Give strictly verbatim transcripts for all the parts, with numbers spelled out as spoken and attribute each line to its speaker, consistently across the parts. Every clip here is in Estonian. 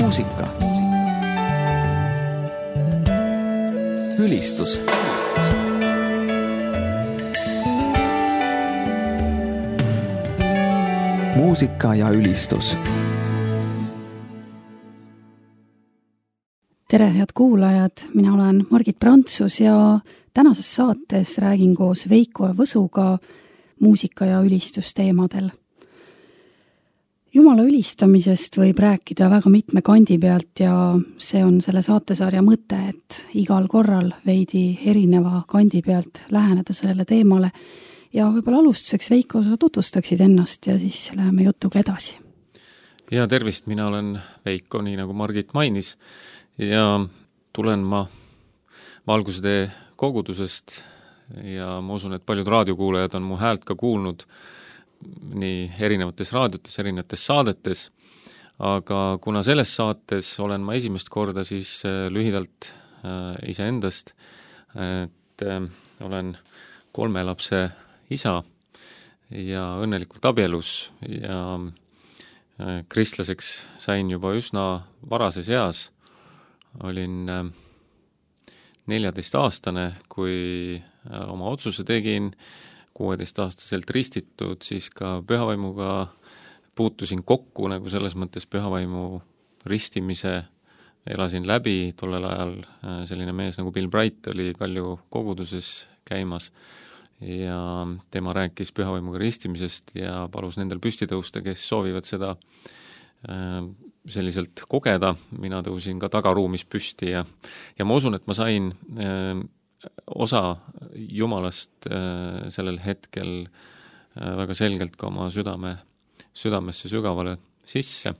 Speaker 1: muusika. Ülistus. Muusika ja ülistus.
Speaker 2: Tere, head kuulajad! Mina olen Margit Prantsus ja tänases saates räägin koos Veiko ja Võsuga muusika ja ülistusteemadel. Jumala ülistamisest võib rääkida väga mitme kandi pealt ja see on selle saatesarja mõte, et igal korral veidi erineva kandi pealt läheneda sellele teemale ja võib-olla alustuseks Veiko, sa tutvustaksid ennast ja siis läheme jutuga edasi.
Speaker 3: Ja tervist, mina olen Veiko, nii nagu Margit mainis ja tulen ma Valgusetee kogudusest ja ma usun, et paljud raadiokuulajad on mu häält ka kuulnud nii erinevates raadiotes, erinevates saadetes, aga kuna selles saates olen ma esimest korda siis lühidalt äh, iseendast, et äh, olen kolme lapse isa ja õnnelikult abielus ja äh, kristlaseks sain juba üsna varases eas, olin äh, neljateistaastane, kui äh, oma otsuse tegin, kuueteistaastaselt ristitud, siis ka pühavaimuga puutusin kokku, nagu selles mõttes pühavaimu ristimise elasin läbi, tollel ajal selline mees nagu Bill Bright oli Kalju koguduses käimas ja tema rääkis pühavaimuga ristimisest ja palus nendel püsti tõusta, kes soovivad seda selliselt kogeda. Mina tõusin ka tagaruumis püsti ja, ja ma usun, et ma sain osa Jumalast äh, sellel hetkel äh, väga selgelt ka oma südame, südamesse sügavale sisse.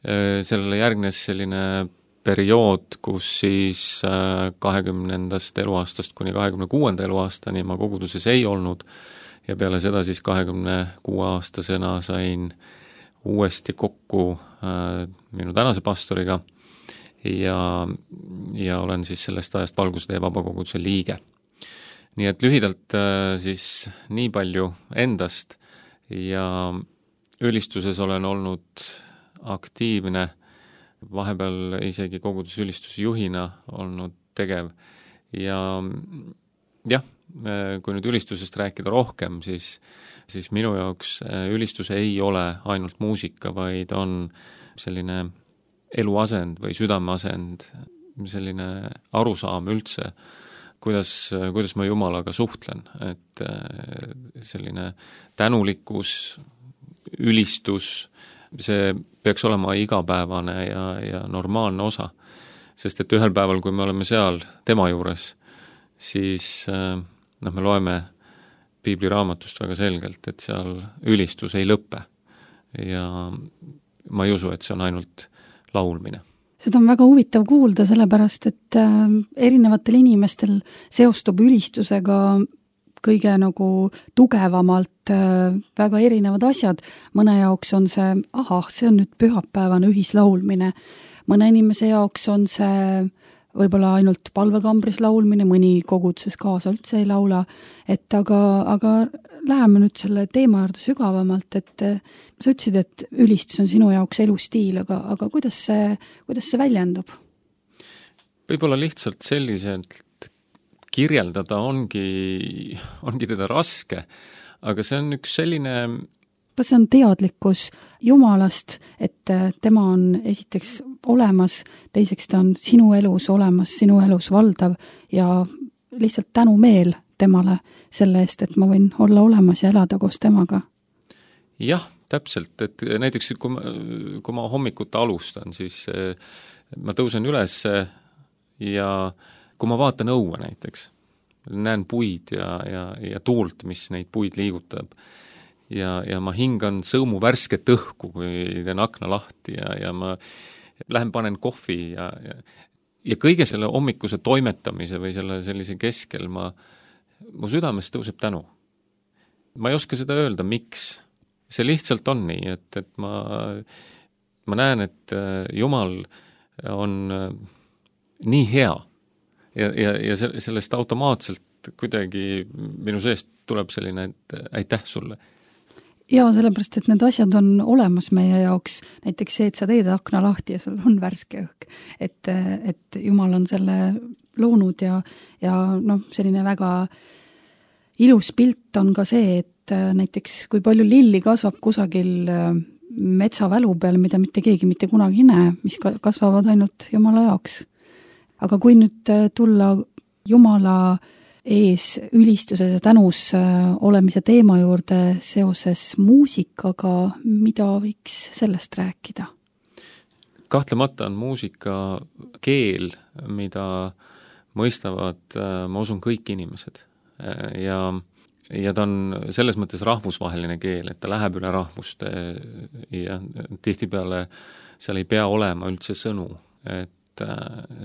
Speaker 3: Äh, sellele järgnes selline periood, kus siis äh, kahekümnendast eluaastast kuni kahekümne kuuenda eluaastani ma koguduses ei olnud ja peale seda siis kahekümne kuue aastasena sain uuesti kokku äh, minu tänase pastoriga ja, ja olen siis sellest ajast Valgusetee vabakoguduse liige. Nii et lühidalt siis nii palju endast ja ülistuses olen olnud aktiivne, vahepeal isegi kogudusülistusjuhina olnud tegev ja jah, kui nüüd ülistusest rääkida rohkem, siis, siis minu jaoks ülistus ei ole ainult muusika, vaid on selline eluasend või südameasend, selline arusaam üldse, kuidas, kuidas ma Jumalaga suhtlen, et selline tänulikkus, ülistus, see peaks olema igapäevane ja, ja normaalne osa, sest et ühel päeval, kui me oleme seal tema juures, siis noh, me loeme piibliraamatust väga selgelt, et seal ülistus ei lõppe ja ma ei usu, et see on ainult laulmine.
Speaker 2: Seda on väga huvitav kuulda, sellepärast, et äh, erinevatel inimestel seostub ülistusega kõige nagu tugevamalt äh, väga erinevad asjad. Mõne jaoks on see, ahah, see on nüüd pühapäevane ühislaulmine. Mõne inimese jaoks on see võib-olla ainult palvekambris laulmine, mõni koguduses kaasa üldse ei laula, et aga, aga läheme nüüd selle teema juurde sügavamalt, et sa ütlesid, et ülistus on sinu jaoks elustiil, aga, aga kuidas see, kuidas see väljendub?
Speaker 3: Võib-olla lihtsalt selliselt kirjeldada ongi, ongi teda raske, aga see on üks selline...
Speaker 2: Kas see on teadlikkus Jumalast, et tema on esiteks olemas, teiseks ta on sinu elus olemas, sinu elus valdav ja lihtsalt tänumeel temale selle eest, et ma võin olla olemas ja elada koos temaga?
Speaker 3: Jah, täpselt, et näiteks kui ma, kui ma hommikuta alustan, siis ma tõusen üles ja kui ma vaatan õue näiteks, näen puid ja, ja, ja tuult, mis neid puid liigutab ja, ja ma hingan sõõmu värsket õhku, kui teen akna lahti ja, ja ma lähen panen kohvi ja, ja, ja kõige selle hommikuse toimetamise või selle sellise keskel ma, mu südames tõuseb tänu. Ma ei oska seda öelda, miks. See lihtsalt on nii, et, et ma, ma näen, et Jumal on nii hea ja, ja, ja sellest automaatselt kuidagi minu seest tuleb selline, et aitäh sulle.
Speaker 2: Jaa, sellepärast, et need asjad on olemas meie jaoks, näiteks see, et sa teed akna lahti ja sul on värske õhk, et, et Jumal on selle loonud ja, ja noh, selline väga ilus pilt on ka see, et näiteks kui palju lilli kasvab kusagil metsavälu peal, mida mitte keegi mitte kunagi ei näe, mis kasvavad ainult Jumala jaoks. Aga kui nüüd tulla Jumala ees ülistuses ja tänus olemise teema juurde seoses muusikaga, mida võiks sellest rääkida?
Speaker 3: Kahtlemata on muusika keel, mida mõistavad, ma usun, kõik inimesed. Ja, ja ta on selles mõttes rahvusvaheline keel, et ta läheb üle rahvuste ja tihtipeale seal ei pea olema üldse sõnu, et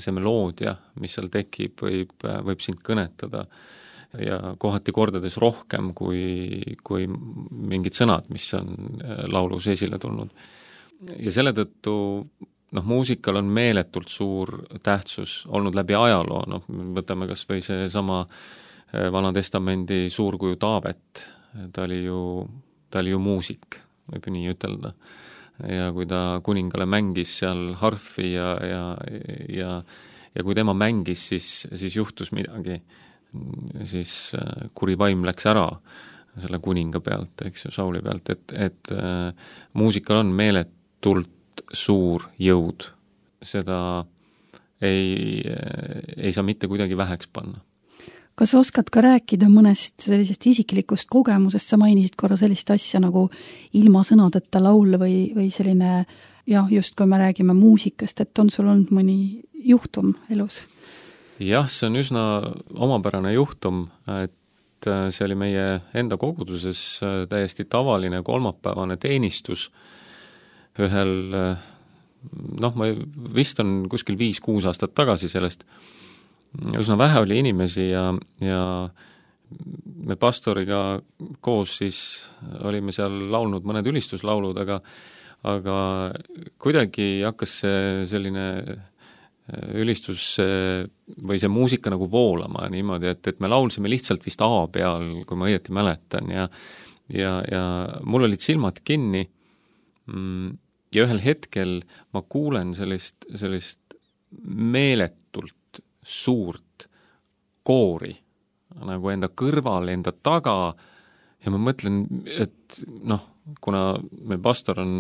Speaker 3: see meloodia, mis seal tekib, võib, võib sind kõnetada ja kohati kordades rohkem kui, kui mingid sõnad, mis on laulus esile tulnud. Ja selle tõttu noh, muusikal on meeletult suur tähtsus olnud läbi ajaloo, noh, võtame kas või see sama Vana Testamendi suurkuju Taavet, ta oli ju, ta oli ju muusik, võib nii ütelda. Ja kui ta kuningale mängis seal harfi ja, ja, ja, ja kui tema mängis, siis, siis juhtus midagi, siis kuri vaim läks ära selle kuninga pealt, eks ju, Sauli pealt, et, et äh, muusikal on meeletult suur jõud. Seda ei, ei saa mitte kuidagi väheks panna.
Speaker 2: Kas oskad ka rääkida mõnest sellisest isiklikust kogemusest, sa mainisid korra sellist asja nagu ilma sõnadeta laul või, või selline, jah, just kui me räägime muusikast, et on sul olnud mõni juhtum elus?
Speaker 3: Jah, see on üsna omapärane juhtum, et see oli meie enda koguduses täiesti tavaline kolmapäevane teenistus ühel, noh, ma vist on kuskil viis-kuus aastat tagasi sellest, üsna vähe oli inimesi ja, ja me pastoriga koos siis olime seal laulnud mõned ülistuslaulud, aga, aga kuidagi hakkas see selline ülistus või see muusika nagu voolama niimoodi, et, et me laulsime lihtsalt vist A peal, kui ma õieti mäletan ja, ja, ja mul olid silmad kinni ja ühel hetkel ma kuulen sellist, sellist meeletult suurt koori nagu enda kõrval, enda taga ja ma mõtlen, et noh, kuna meil pastor on,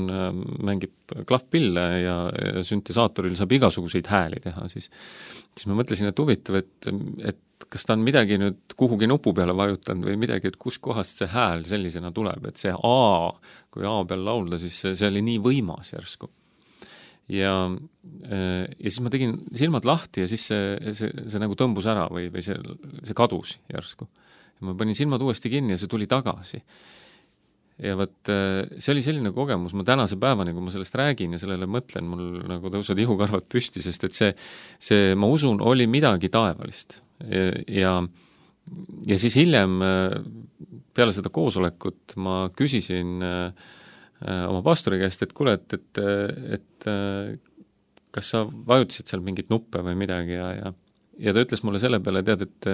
Speaker 3: mängib klahvpille ja, ja süntesaatoril saab igasuguseid hääli teha, siis, siis ma mõtlesin, et huvitav, et, et kas ta on midagi nüüd kuhugi nupu peale vajutanud või midagi, et kus kohast see hääl sellisena tuleb, et see A, kui A peal laulda, siis see, see oli nii võimas järsku. Ja, ja siis ma tegin silmad lahti ja siis see, see, see nagu tõmbus ära või, või see, see kadus järsku. Ja ma panin silmad uuesti kinni ja see tuli tagasi. Ja võt, see oli selline kogemus, ma tänase päevani, kui ma sellest räägin ja sellele mõtlen, mul nagu tõusvad ihukarvad püsti, sest et see, see, ma usun, oli midagi taevalist. Ja, ja, ja siis hiljem peale seda koosolekut ma küsisin oma pastori käest, et kuule, et, et, et kas sa vajutasid seal mingit nuppe või midagi ja, ja, ja ta ütles mulle selle peale, tead, et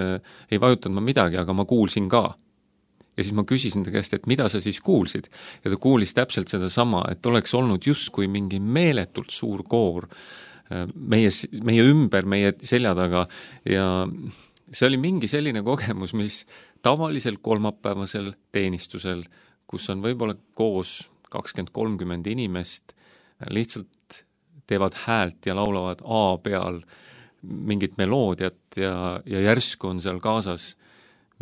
Speaker 3: ei vajutanud ma midagi, aga ma kuulsin ka. Ja siis ma küsisin ta käest, et mida sa siis kuulsid? Ja ta kuulis täpselt seda sama, et oleks olnud justkui mingi meeletult suur koor meie, meie ümber, meie selja taga ja see oli mingi selline kogemus, mis tavalisel kolmapäevasel teenistusel, kus on võib-olla koos kakskümmend kolmkümmend inimest, lihtsalt teevad häält ja laulavad A peal mingit meloodiat ja, ja järsku on seal kaasas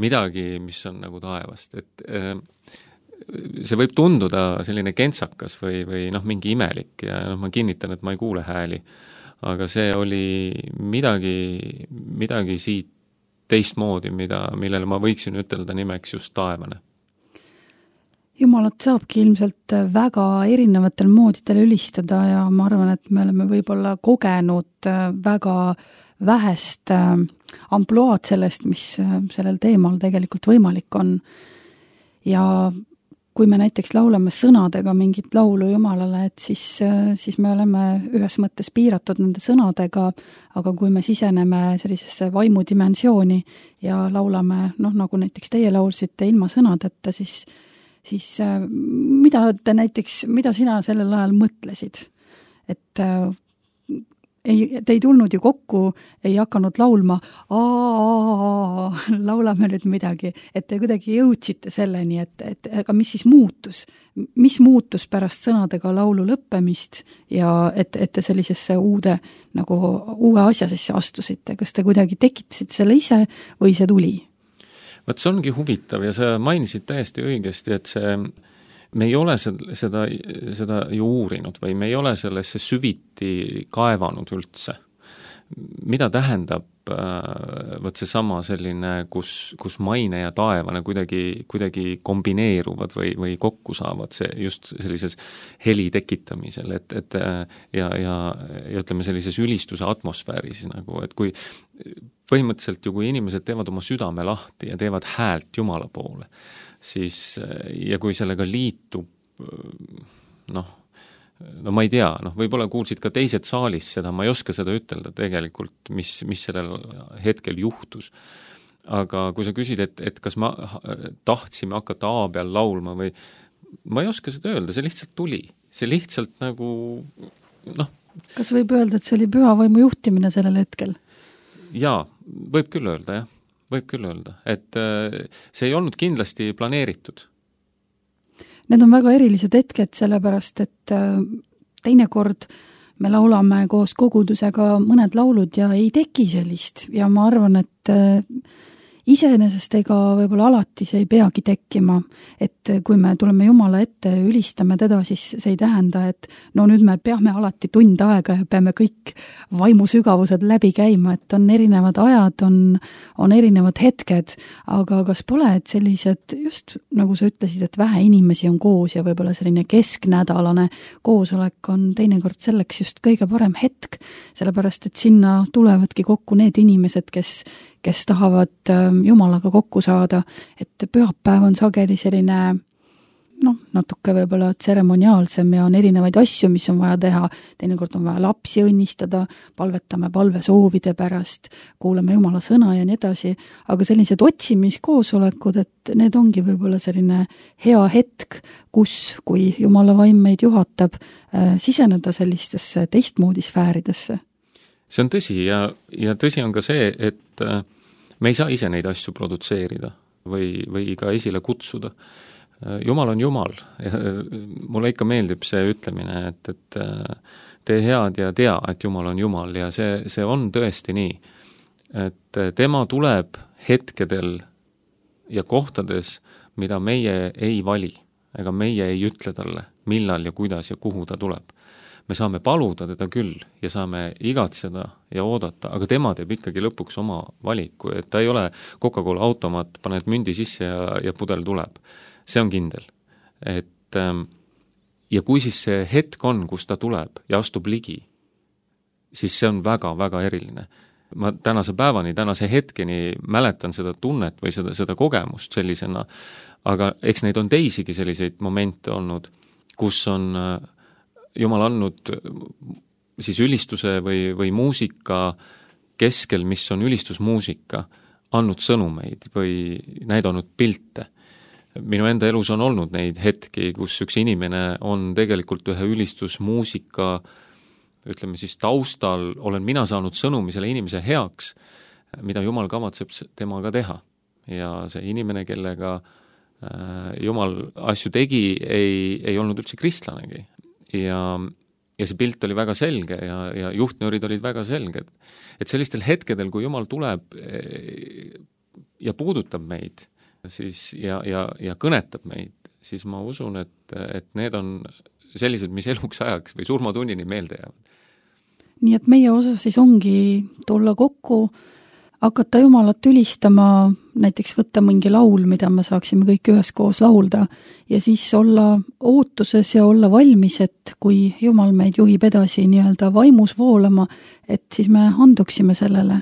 Speaker 3: midagi, mis on nagu taevast. Et see võib tunduda selline kentsakas või, või noh, mingi imelik ja noh, ma kinnitan, et ma ei kuule hääli, aga see oli midagi, midagi siit teistmoodi, mida, millele ma võiksin ütelda nimeks just taevane.
Speaker 2: Jumalat saabki ilmselt väga erinevatel moodidel ülistada ja ma arvan, et me oleme võib-olla kogenud väga vähest ampluaad sellest, mis sellel teemal tegelikult võimalik on. Ja kui me näiteks laulame sõnadega mingit laulu Jumalale, et siis, siis me oleme ühes mõttes piiratud nende sõnadega, aga kui me siseneme sellisesse vaimudimensiooni ja laulame, noh, nagu näiteks teie laulsite ilma sõnadeta, siis siis mida te näiteks, mida sina sellel ajal mõtlesid? Et ei, te ei tulnud ju kokku, ei hakanud laulma, aa, laulame nüüd midagi, et te kuidagi jõudsite selleni, et, et aga mis siis muutus? Mis muutus pärast sõnadega laulu lõppemist ja et, et te sellisesse uude, nagu uue asja sisse astusite? Kas te kuidagi tekitasite selle ise või see tuli?
Speaker 3: Võt see ongi huvitav ja sa mainisid täiesti õigesti, et see me ei ole seda, seda ju uurinud või me ei ole sellesse süviti kaevanud üldse. Mida tähendab võt see sama selline, kus, kus maine ja taevane kuidagi, kuidagi kombineeruvad või, või kokku saavad see just sellises heli tekitamisel, et, et ja, ja, ja ütleme sellises ülistuse atmosfääris, nagu, et kui põhimõtteliselt ju kui inimesed teevad oma südame lahti ja teevad häält Jumala poole, siis ja kui sellega liitub noh, no ma ei tea, noh võib-olla kuulsid ka teised saalis seda, ma ei oska seda ütelda tegelikult, mis, mis sellel hetkel juhtus. Aga kui sa küsid, et, et kas ma tahtsime hakata A peal laulma või ma ei oska seda öelda, see lihtsalt tuli. See lihtsalt nagu noh.
Speaker 2: Kas võib öelda, et see oli pühavaimu juhtimine sellel hetkel?
Speaker 3: Jaa, võib küll öelda, jah. Võib küll öelda, et see ei olnud kindlasti planeeritud.
Speaker 2: Need on väga erilised hetked, sellepärast, et teinekord me laulame koos kogudusega mõned laulud ja ei teki sellist ja ma arvan, et iseenesest ega võib-olla alati see ei peagi tekkima, et kui me tuleme Jumala ette ja ülistame teda, siis see ei tähenda, et no nüüd me peame alati tund aega ja peame kõik vaimusügavused läbi käima, et on erinevad ajad, on, on erinevad hetked, aga kas pole, et sellised just nagu sa ütlesid, et vähe inimesi on koos ja võib-olla selline kesknädalane koosolek on teinekord selleks just kõige parem hetk, sellepärast et sinna tulevadki kokku need inimesed, kes kes tahavad Jumalaga kokku saada, et pühapäev on sageli selline noh, natuke võib-olla tseremoniaalsem ja on erinevaid asju, mis on vaja teha, teinekord on vaja lapsi õnnistada, palvetame palvesoovide pärast, kuulame Jumala sõna ja nii edasi, aga sellised otsimiskoosolekud, et need ongi võib-olla selline hea hetk, kus, kui Jumala vaim meid juhatab, siseneda sellistesse teistmoodi sfääridesse.
Speaker 3: See on tõsi ja, ja tõsi on ka see, et me ei saa ise neid asju produtseerida või, või ka esile kutsuda. Jumal on Jumal ja mulle ikka meeldib see ütlemine, et, et tee head ja tea, et Jumal on Jumal ja see, see on tõesti nii, et tema tuleb hetkedel ja kohtades, mida meie ei vali, ega meie ei ütle talle, millal ja kuidas ja kuhu ta tuleb. Me saame paluda teda küll ja saame igatseda ja oodata, aga tema teeb ikkagi lõpuks oma valiku, et ta ei ole Coca-Cola automaat, paned mündi sisse ja, ja pudel tuleb. See on kindel. Et, ja kui siis see hetk on, kus ta tuleb ja astub ligi, siis see on väga-väga eriline. Ma tänase päevani, tänase hetkeni mäletan seda tunnet või seda, seda kogemust sellisena, aga eks neid on teisigi selliseid momente olnud, kus on Jumal andnud siis ülistuse või, või muusika keskel, mis on ülistusmuusika, andnud sõnumeid või näidanud pilte. Minu enda elus on olnud neid hetki, kus üks inimene on tegelikult ühe ülistusmuusika, ütleme siis taustal, olen mina saanud sõnumi selle inimese heaks, mida Jumal kavatseb temaga teha. Ja see inimene, kellega Jumal asju tegi, ei, ei olnud üldse kristlanegi. Ja, ja see pilt oli väga selge ja, ja juhtnöörid olid väga selged. Et sellistel hetkedel, kui Jumal tuleb ja puudutab meid siis ja, ja, ja kõnetab meid, siis ma usun, et, et need on sellised, mis eluks ajaks või surmatunnini meelde jäävad.
Speaker 2: Nii et meie osa siis ongi tulla kokku, hakata Jumalat ülistama, näiteks võtta mingi laul, mida me saaksime kõik üheskoos laulda ja siis olla ootuses ja olla valmis, et kui Jumal meid juhib edasi nii-öelda vaimus voolama, et siis me anduksime sellele.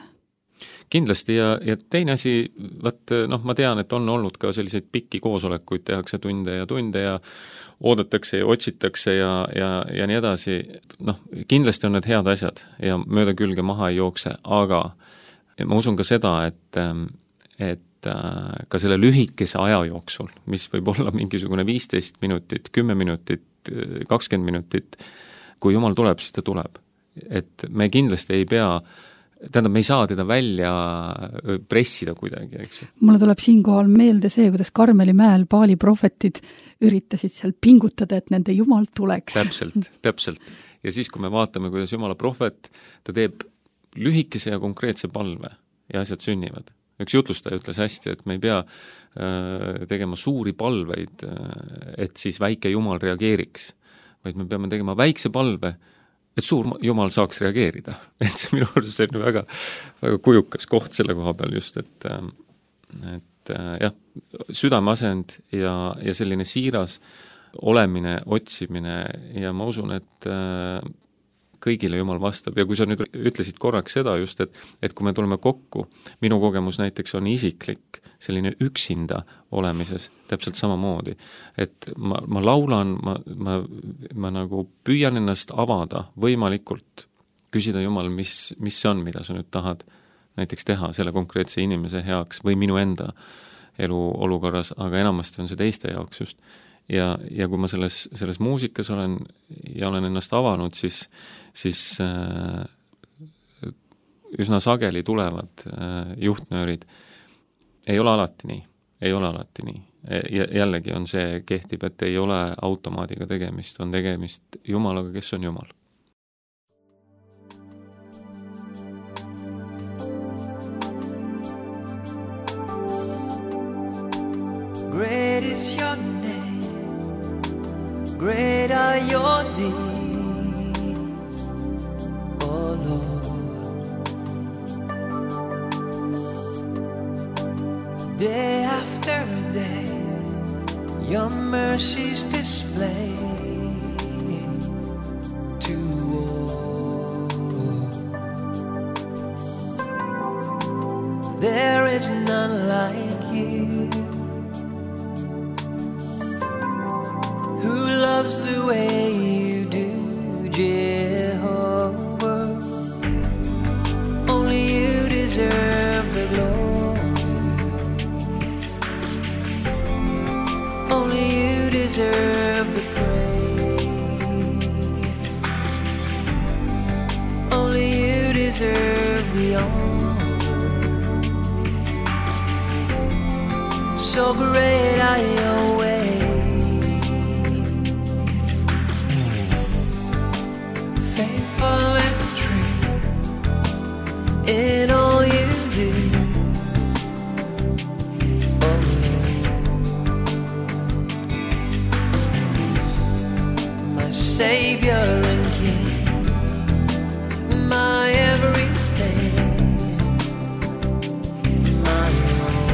Speaker 3: Kindlasti ja, ja teine asi, võt, noh, ma tean, et on olnud ka selliseid pikki koosolekuid, tehakse tunde ja tunde ja oodatakse ja otsitakse ja, ja, ja nii edasi. Noh, kindlasti on need head asjad ja mööda külge maha ei jookse, aga ma usun ka seda, et, et et äh, ka selle lühikese aja jooksul, mis võib olla mingisugune viisteist minutit, kümme minutit, kakskümmend minutit, kui Jumal tuleb, siis ta tuleb. Et me kindlasti ei pea, tähendab, me ei saa teda välja pressida kuidagi, eks ju.
Speaker 2: Mulle tuleb siinkohal meelde see, kuidas Karmeli mäel Baali prohvetid üritasid seal pingutada, et nende Jumal tuleks.
Speaker 3: Täpselt, täpselt. Ja siis, kui me vaatame, kuidas Jumala prohvet, ta teeb lühikese ja konkreetse palve ja asjad sünnivad. Üks jutlustaja ütles hästi, et me ei pea äh, tegema suuri palveid, et siis väike Jumal reageeriks, vaid me peame tegema väikse palve, et suur Jumal saaks reageerida. Et see minu arvates on väga, väga kujukas koht selle koha peal just, et, et jah, südameasend ja, ja selline siiras olemine, otsimine ja ma usun, et kõigile Jumal vastab ja kui sa nüüd ütlesid korraks seda just, et, et kui me tuleme kokku, minu kogemus näiteks on isiklik, selline üksinda olemises täpselt samamoodi, et ma, ma laulan, ma, ma, ma nagu püüan ennast avada võimalikult, küsida Jumal, mis, mis see on, mida sa nüüd tahad näiteks teha selle konkreetse inimese heaks või minu enda elu olukorras, aga enamasti on see teiste jaoks just. Ja, ja kui ma selles, selles muusikas olen ja olen ennast avanud, siis, siis äh, üsna sageli tulevad äh, juhtnöörid. Ei ole alati nii, ei ole alati nii. Ja jällegi on see kehtib, et ei ole automaadiga tegemist, on tegemist Jumalaga, kes on Jumal.
Speaker 4: Great is your name. Great are your deeds, oh Lord. Day after day, your mercies display to all. There is none like you, loves the way you do, Jehovah. Only you deserve the glory. Only you deserve the praise. Only you deserve the honor. So great are your ways. In all you do, oh Lord, my Savior and King, my everything, my all.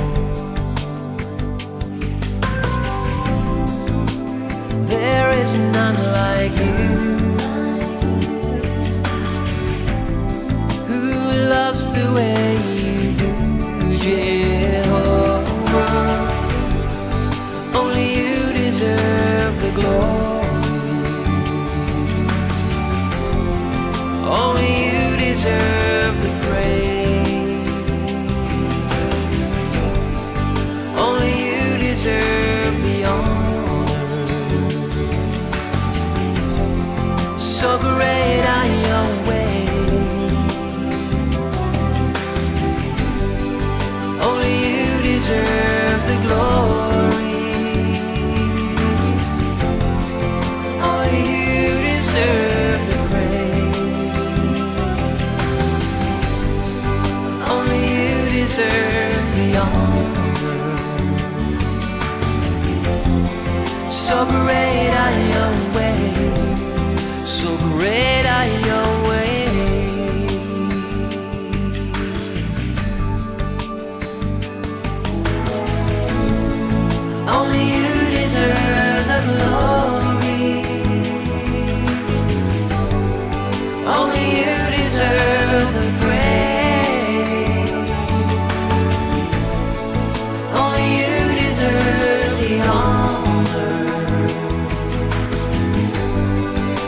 Speaker 4: There is none like you. Loves the way you do, Jehovah. Only you deserve the glory. Only you deserve the praise. Only you deserve the honor. So great are your ways. Deserve the glory. Only you deserve the praise. Only you deserve the honor. So great are your ways. So great are your ways. Only you deserve the glory. Only you deserve the praise. Only you deserve the honor.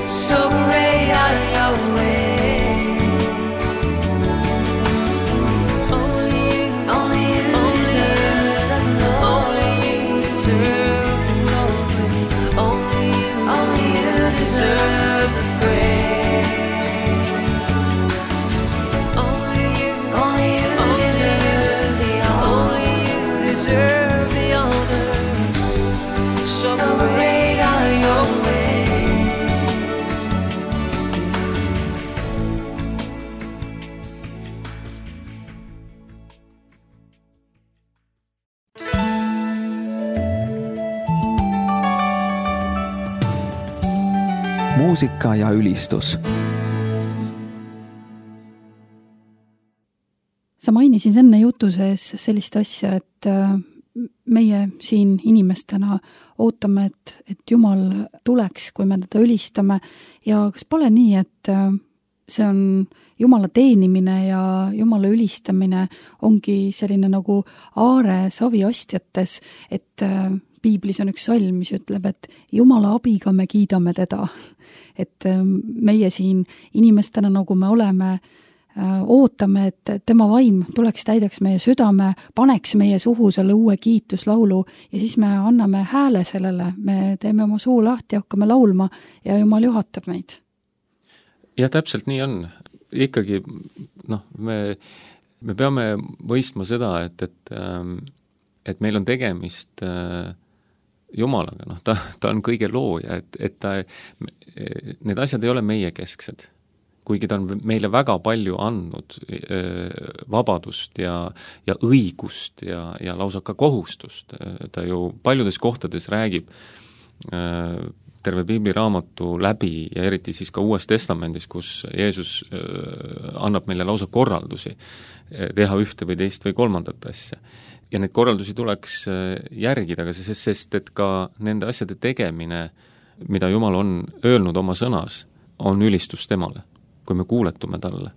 Speaker 4: So great are your
Speaker 1: muusika ja ülistus.
Speaker 2: Sa mainisid enne jutu sees sellist asja, et meie siin inimestena ootame, et, et Jumal tuleks, kui me teda ülistame ja kas pole nii, et see on Jumala teenimine ja Jumala ülistamine ongi selline nagu aare saviastjates, et piiblis on üks salm, mis ütleb, et Jumala abiga me kiidame teda. Et meie siin inimestena, nagu me oleme, ootame, et tema vaim tuleks täidaks meie südame, paneks meie suhu selle uue kiituslaulu ja siis me anname hääle sellele, me teeme oma suu lahti, hakkame laulma ja Jumal juhatab meid.
Speaker 3: Ja täpselt nii on. Ikkagi noh, me, me peame mõistma seda, et, et, et meil on tegemist Jumalaga, noh, ta, ta on kõige looja, et, et ta, need asjad ei ole meie kesksed. Kuigi ta on meile väga palju andnud vabadust ja, ja õigust ja, ja lausa ka kohustust. Ta ju paljudes kohtades räägib terve piibliraamatu läbi ja eriti siis ka Uues Testamendis, kus Jeesus annab meile lausa korraldusi teha ühte või teist või kolmandat asja. Ja neid korraldusi tuleks järgida, aga sest, sest et ka nende asjade tegemine, mida Jumal on öelnud oma sõnas, on ülistus temale, kui me kuuletume talle.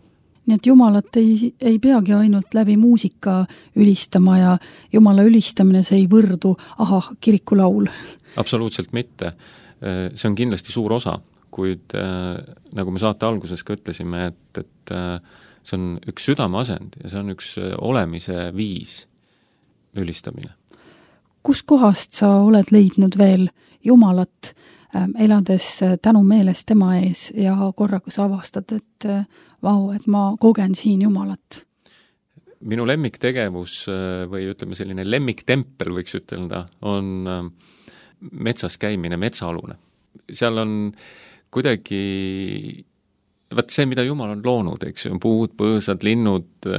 Speaker 2: Nii et Jumalat ei, ei peagi ainult läbi muusika ülistama ja Jumala ülistamine see ei võrdu, aha, kirikulaul.
Speaker 3: Absoluutselt mitte. See on kindlasti suur osa, kuid nagu me saate alguses ka ütlesime, et, et see on üks südameasend ja see on üks olemise viis ülistamine.
Speaker 2: Kus kohast sa oled leidnud veel Jumalat, elades tänu meeles tema ees ja korraga sa avastad, et vau, et ma kogen siin Jumalat?
Speaker 3: Minu lemmiktegevus või ütleme selline lemmiktempel võiks ütelda, on metsas käimine, metsaalune. Seal on kuidagi, vaat see, mida Jumal on loonud, eks ju, puud, põõsad, linnud,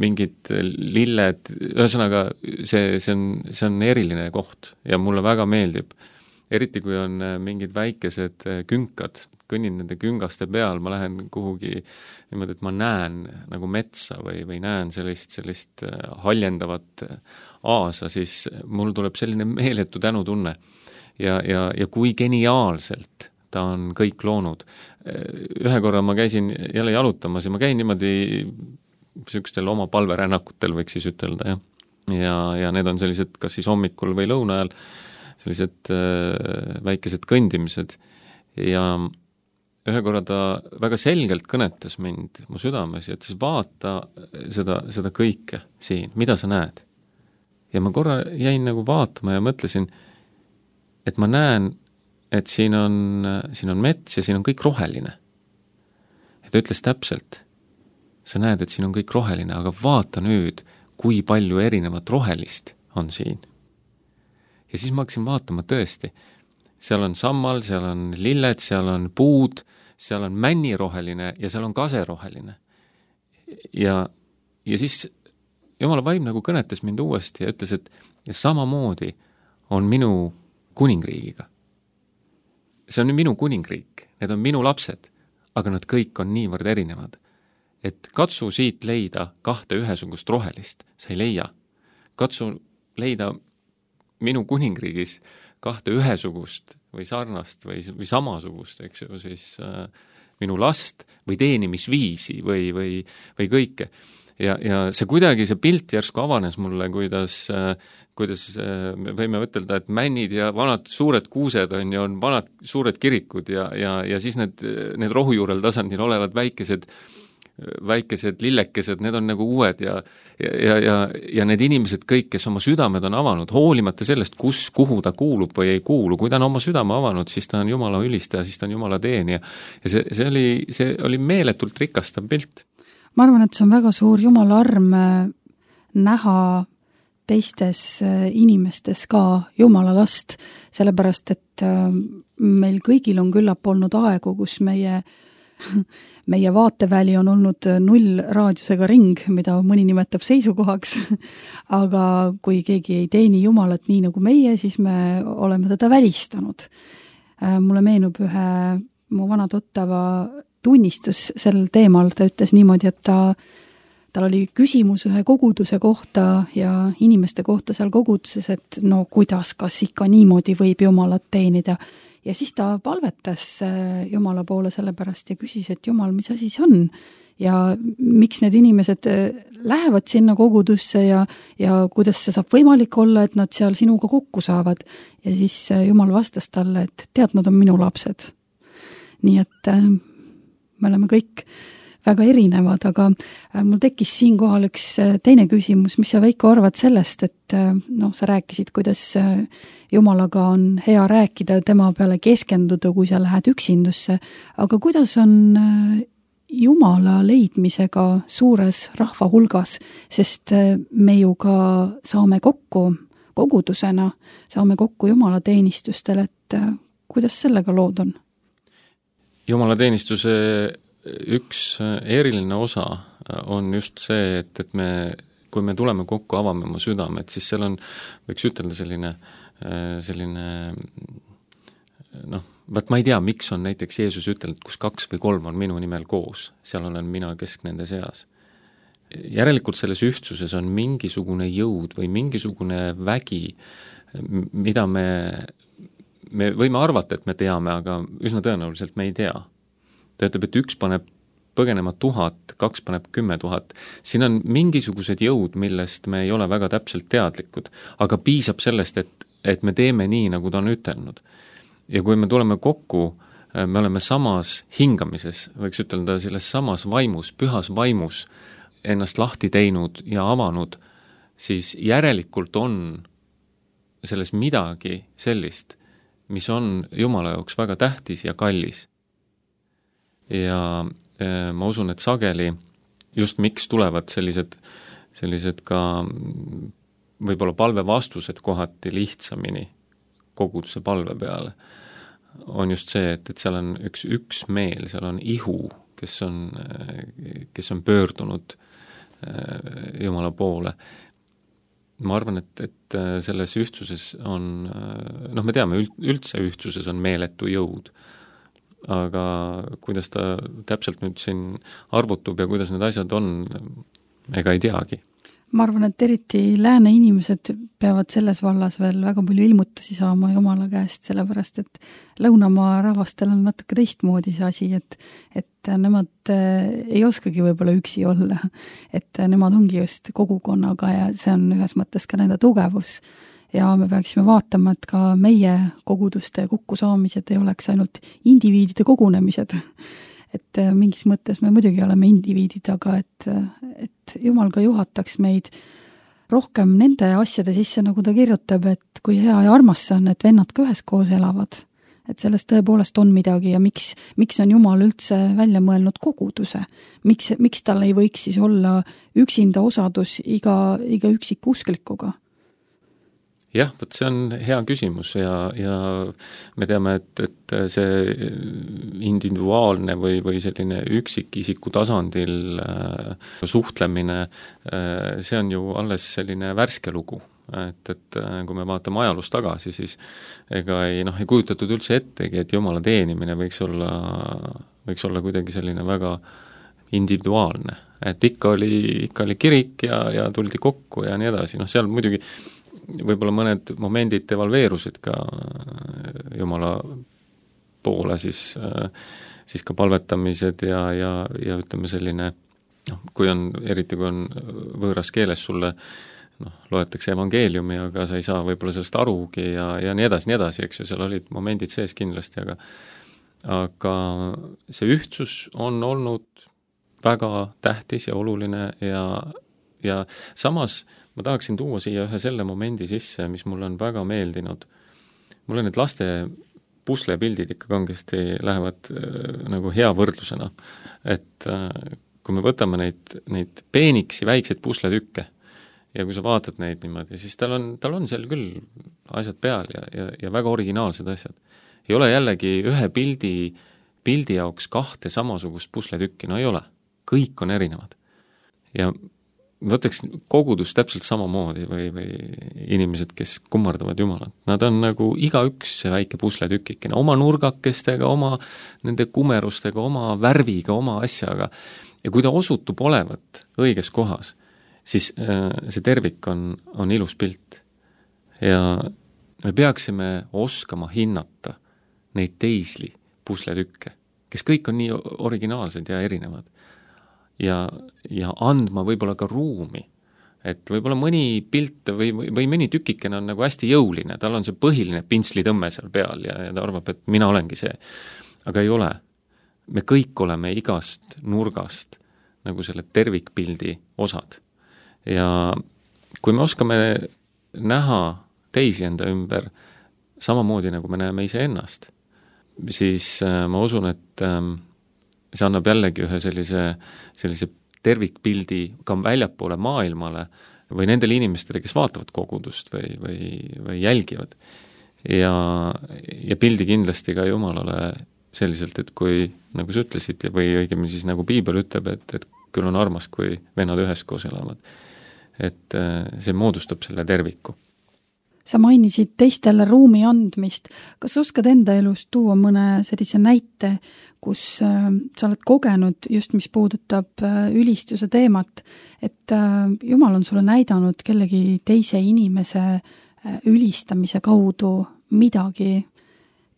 Speaker 3: mingid lilled, ühesõnaga see, see, on, see on eriline koht ja mulle väga meeldib. Eriti kui on mingid väikesed künkad, kõnnin nende küngaste peal, ma lähen kuhugi niimoodi, et ma näen nagu metsa või, või näen sellist, sellist haljendavat aasa, siis mul tuleb selline meeletu tänutunne ja, ja, ja kui geniaalselt ta on kõik loonud. Ühe korra ma käisin jälle jalutamas ja ma käin niimoodi niisugustel oma palverännakutel võiks siis ütelda, jah. Ja, ja need on sellised kas siis hommikul või lõuna ajal sellised äh, väikesed kõndimised ja ühe korra ta väga selgelt kõnetas mind mu südames ja ütles, vaata seda, seda kõike siin, mida sa näed. Ja ma korra jäin nagu vaatama ja mõtlesin, et ma näen, et siin on, siin on mets ja siin on kõik roheline. Ja ta ütles täpselt, sa näed, et siin on kõik roheline, aga vaata nüüd, kui palju erinevat rohelist on siin. Ja siis ma hakkasin vaatama tõesti, seal on sammal, seal on lilled, seal on puud, seal on männiroheline ja seal on kaseroheline. Ja, ja siis Jumala vaim nagu kõnetas mind uuesti ja ütles, et ja samamoodi on minu kuningriigiga. See on minu kuningriik, need on minu lapsed, aga nad kõik on niivõrd erinevad. Et katsu siit leida kahte ühesugust rohelist, sa ei leia. Katsu leida minu kuningriigis kahte ühesugust või sarnast või, või samasugust, eks ju, siis äh, minu last või teenimisviisi või, või, või kõike. Ja, ja see kuidagi, see pilt järsku avanes mulle, kuidas, äh, kuidas äh, me võime ütelda, et männid ja vanad suured kuused on ja on vanad suured kirikud ja, ja, ja siis need, need rohujuurel tasandil olevad väikesed väikesed lillekesed, need on nagu uued ja, ja, ja, ja need inimesed kõik, kes oma südamed on avanud, hoolimata sellest, kus, kuhu ta kuulub või ei kuulu, kui ta on oma südame avanud, siis ta on Jumala ülistaja, siis ta on Jumala teenija. Ja see, see, oli, see oli meeletult rikastav pilt.
Speaker 2: Ma arvan, et see on väga suur Jumala arm näha teistes inimestes ka Jumala last, sellepärast, et meil kõigil on küllap olnud aegu, kus meie meie vaateväli on olnud null raadiusega ring, mida mõni nimetab seisukohaks, aga kui keegi ei teeni Jumalat nii nagu meie, siis me oleme teda välistanud. mulle meenub ühe mu vana tuttava tunnistus sel teemal, ta ütles niimoodi, et ta tal oli küsimus ühe koguduse kohta ja inimeste kohta seal koguduses, et no kuidas, kas ikka niimoodi võib Jumalat teenida. Ja siis ta palvetas Jumala poole sellepärast ja küsis, et Jumal, mis asi see on? Ja miks need inimesed lähevad sinna kogudusse ja, ja kuidas see saab võimalik olla, et nad seal sinuga kokku saavad. Ja siis Jumal vastas talle, et tead, nad on minu lapsed. Nii et me oleme kõik väga erinevad, aga mul tekkis siinkohal üks teine küsimus, mis sa, Veiko, arvad sellest, et noh, sa rääkisid, kuidas Jumalaga on hea rääkida, tema peale keskenduda, kui sa lähed üksindusse, aga kuidas on Jumala leidmisega suures rahva hulgas, sest me ju ka saame kokku kogudusena, saame kokku Jumala teenistustel, et kuidas sellega lood on?
Speaker 3: Jumala teenistuse üks eriline osa on just see, et, et me, kui me tuleme kokku, avame oma südamed, siis seal on, võiks ütelda selline, selline noh, vaat ma ei tea, miks on näiteks Jeesus ütelnud, kus kaks või kolm on minu nimel koos, seal olen mina kesk nende seas. Järelikult selles ühtsuses on mingisugune jõud või mingisugune vägi, mida me, me võime arvata, et me teame, aga üsna tõenäoliselt me ei tea. Ta ütleb, et üks paneb põgenema tuhat, kaks paneb kümme tuhat. Siin on mingisugused jõud, millest me ei ole väga täpselt teadlikud, aga piisab sellest, et, et me teeme nii, nagu ta on ütelnud. Ja kui me tuleme kokku, me oleme samas hingamises, võiks ütelda selles samas vaimus, pühas vaimus ennast lahti teinud ja avanud, siis järelikult on selles midagi sellist, mis on Jumala jaoks väga tähtis ja kallis. Ja ma usun, et sageli just miks tulevad sellised, sellised ka võib-olla palve vastused kohati lihtsamini koguduse palve peale, on just see, et, et seal on üks, üks meel, seal on ihu, kes on, kes on pöördunud Jumala poole. Ma arvan, et, et selles ühtsuses on, noh, me teame, üldse ühtsuses on meeletu jõud, aga kuidas ta täpselt nüüd siin arvutub ja kuidas need asjad on, ega ei teagi.
Speaker 2: Ma arvan, et eriti lääne inimesed peavad selles vallas veel väga palju ilmutusi saama Jumala käest, sellepärast et lõunamaa rahvastel on natuke teistmoodi see asi, et, et nemad ei oskagi võib-olla üksi olla, et nemad ongi just kogukonnaga ja see on ühes mõttes ka nende tugevus. Ja me peaksime vaatama, et ka meie koguduste kokkusaamised ei oleks ainult indiviidide kogunemised. Et mingis mõttes me muidugi oleme indiviidid, aga et, et Jumal ka juhataks meid rohkem nende asjade sisse, nagu ta kirjutab, et kui hea ja armas see on, et vennad ka üheskoos elavad. Et sellest tõepoolest on midagi ja miks, miks on Jumal üldse välja mõelnud koguduse? Miks, miks tal ei võiks siis olla üksinda osadus iga, iga üksik usklikuga?
Speaker 3: Jah, võt see on hea küsimus ja, ja me teame, et, et see individuaalne või, või selline üksikisiku tasandil äh, suhtlemine, äh, see on ju alles selline värske lugu. Et, et kui me vaatame ajalust tagasi, siis ega ei, noh, ei kujutatud üldse ettegi, et Jumala teenimine võiks olla, võiks olla kuidagi selline väga individuaalne. Et ikka oli, ikka oli kirik ja, ja tuldi kokku ja nii edasi. Noh, seal muidugi võib-olla mõned momendid devalveerusid ka Jumala poole, siis, siis ka palvetamised ja, ja, ja ütleme selline, noh, kui on, eriti kui on võõras keeles sulle, noh, loetakse evangeeliumi, aga sa ei saa võib-olla sellest arugi ja, ja nii edasi, nii edasi, eks ju, seal olid momendid sees kindlasti, aga aga see ühtsus on olnud väga tähtis ja oluline ja, ja samas ma tahaksin tuua siia ühe selle momendi sisse, mis mulle on väga meeldinud. Mulle need laste puslepildid ikka kangesti lähevad äh, nagu hea võrdlusena. Et äh, kui me võtame neid, neid peeniksi väikseid pusletükke ja kui sa vaatad neid niimoodi, siis tal on, tal on seal küll asjad peal ja, ja, ja väga originaalsed asjad. Ei ole jällegi ühe pildi, pildi jaoks kahte samasugust pusletükki, no ei ole. Kõik on erinevad. Ja võtaks kogudus täpselt samamoodi või, või inimesed, kes kummardavad Jumalat. Nad on nagu igaüks see väike pusletükikene, oma nurgakestega, oma nende kumerustega, oma värviga, oma asjaga. Ja kui ta osutub olevat õiges kohas, siis äh, see tervik on, on ilus pilt. Ja me peaksime oskama hinnata neid teisli pusletükke, kes kõik on nii originaalsed ja erinevad. Ja, ja andma võib-olla ka ruumi. Et võib-olla mõni pilt või, või, või mõni tükikene on nagu hästi jõuline, tal on see põhiline pintslitõmme seal peal ja, ja ta arvab, et mina olengi see. Aga ei ole. Me kõik oleme igast nurgast nagu selle tervikpildi osad. Ja kui me oskame näha teisi enda ümber samamoodi, nagu me näeme ise ennast, siis äh, ma usun, et äh, see annab jällegi ühe sellise, sellise tervikpildi ka väljapoole maailmale või nendele inimestele, kes vaatavad kogudust või, või, või jälgivad. Ja, ja pildi kindlasti ka Jumalale selliselt, et kui, nagu sa ütlesid, või õigemini siis nagu Piibel ütleb, et, et küll on armas, kui vennad üheskoos elavad. Et see moodustab selle terviku.
Speaker 2: Sa mainisid teistele ruumi andmist. Kas oskad enda elust tuua mõne sellise näite, kus äh, sa oled kogenud just, mis puudutab äh, ülistuse teemat, et äh, Jumal on sulle näidanud kellegi teise inimese äh, ülistamise kaudu midagi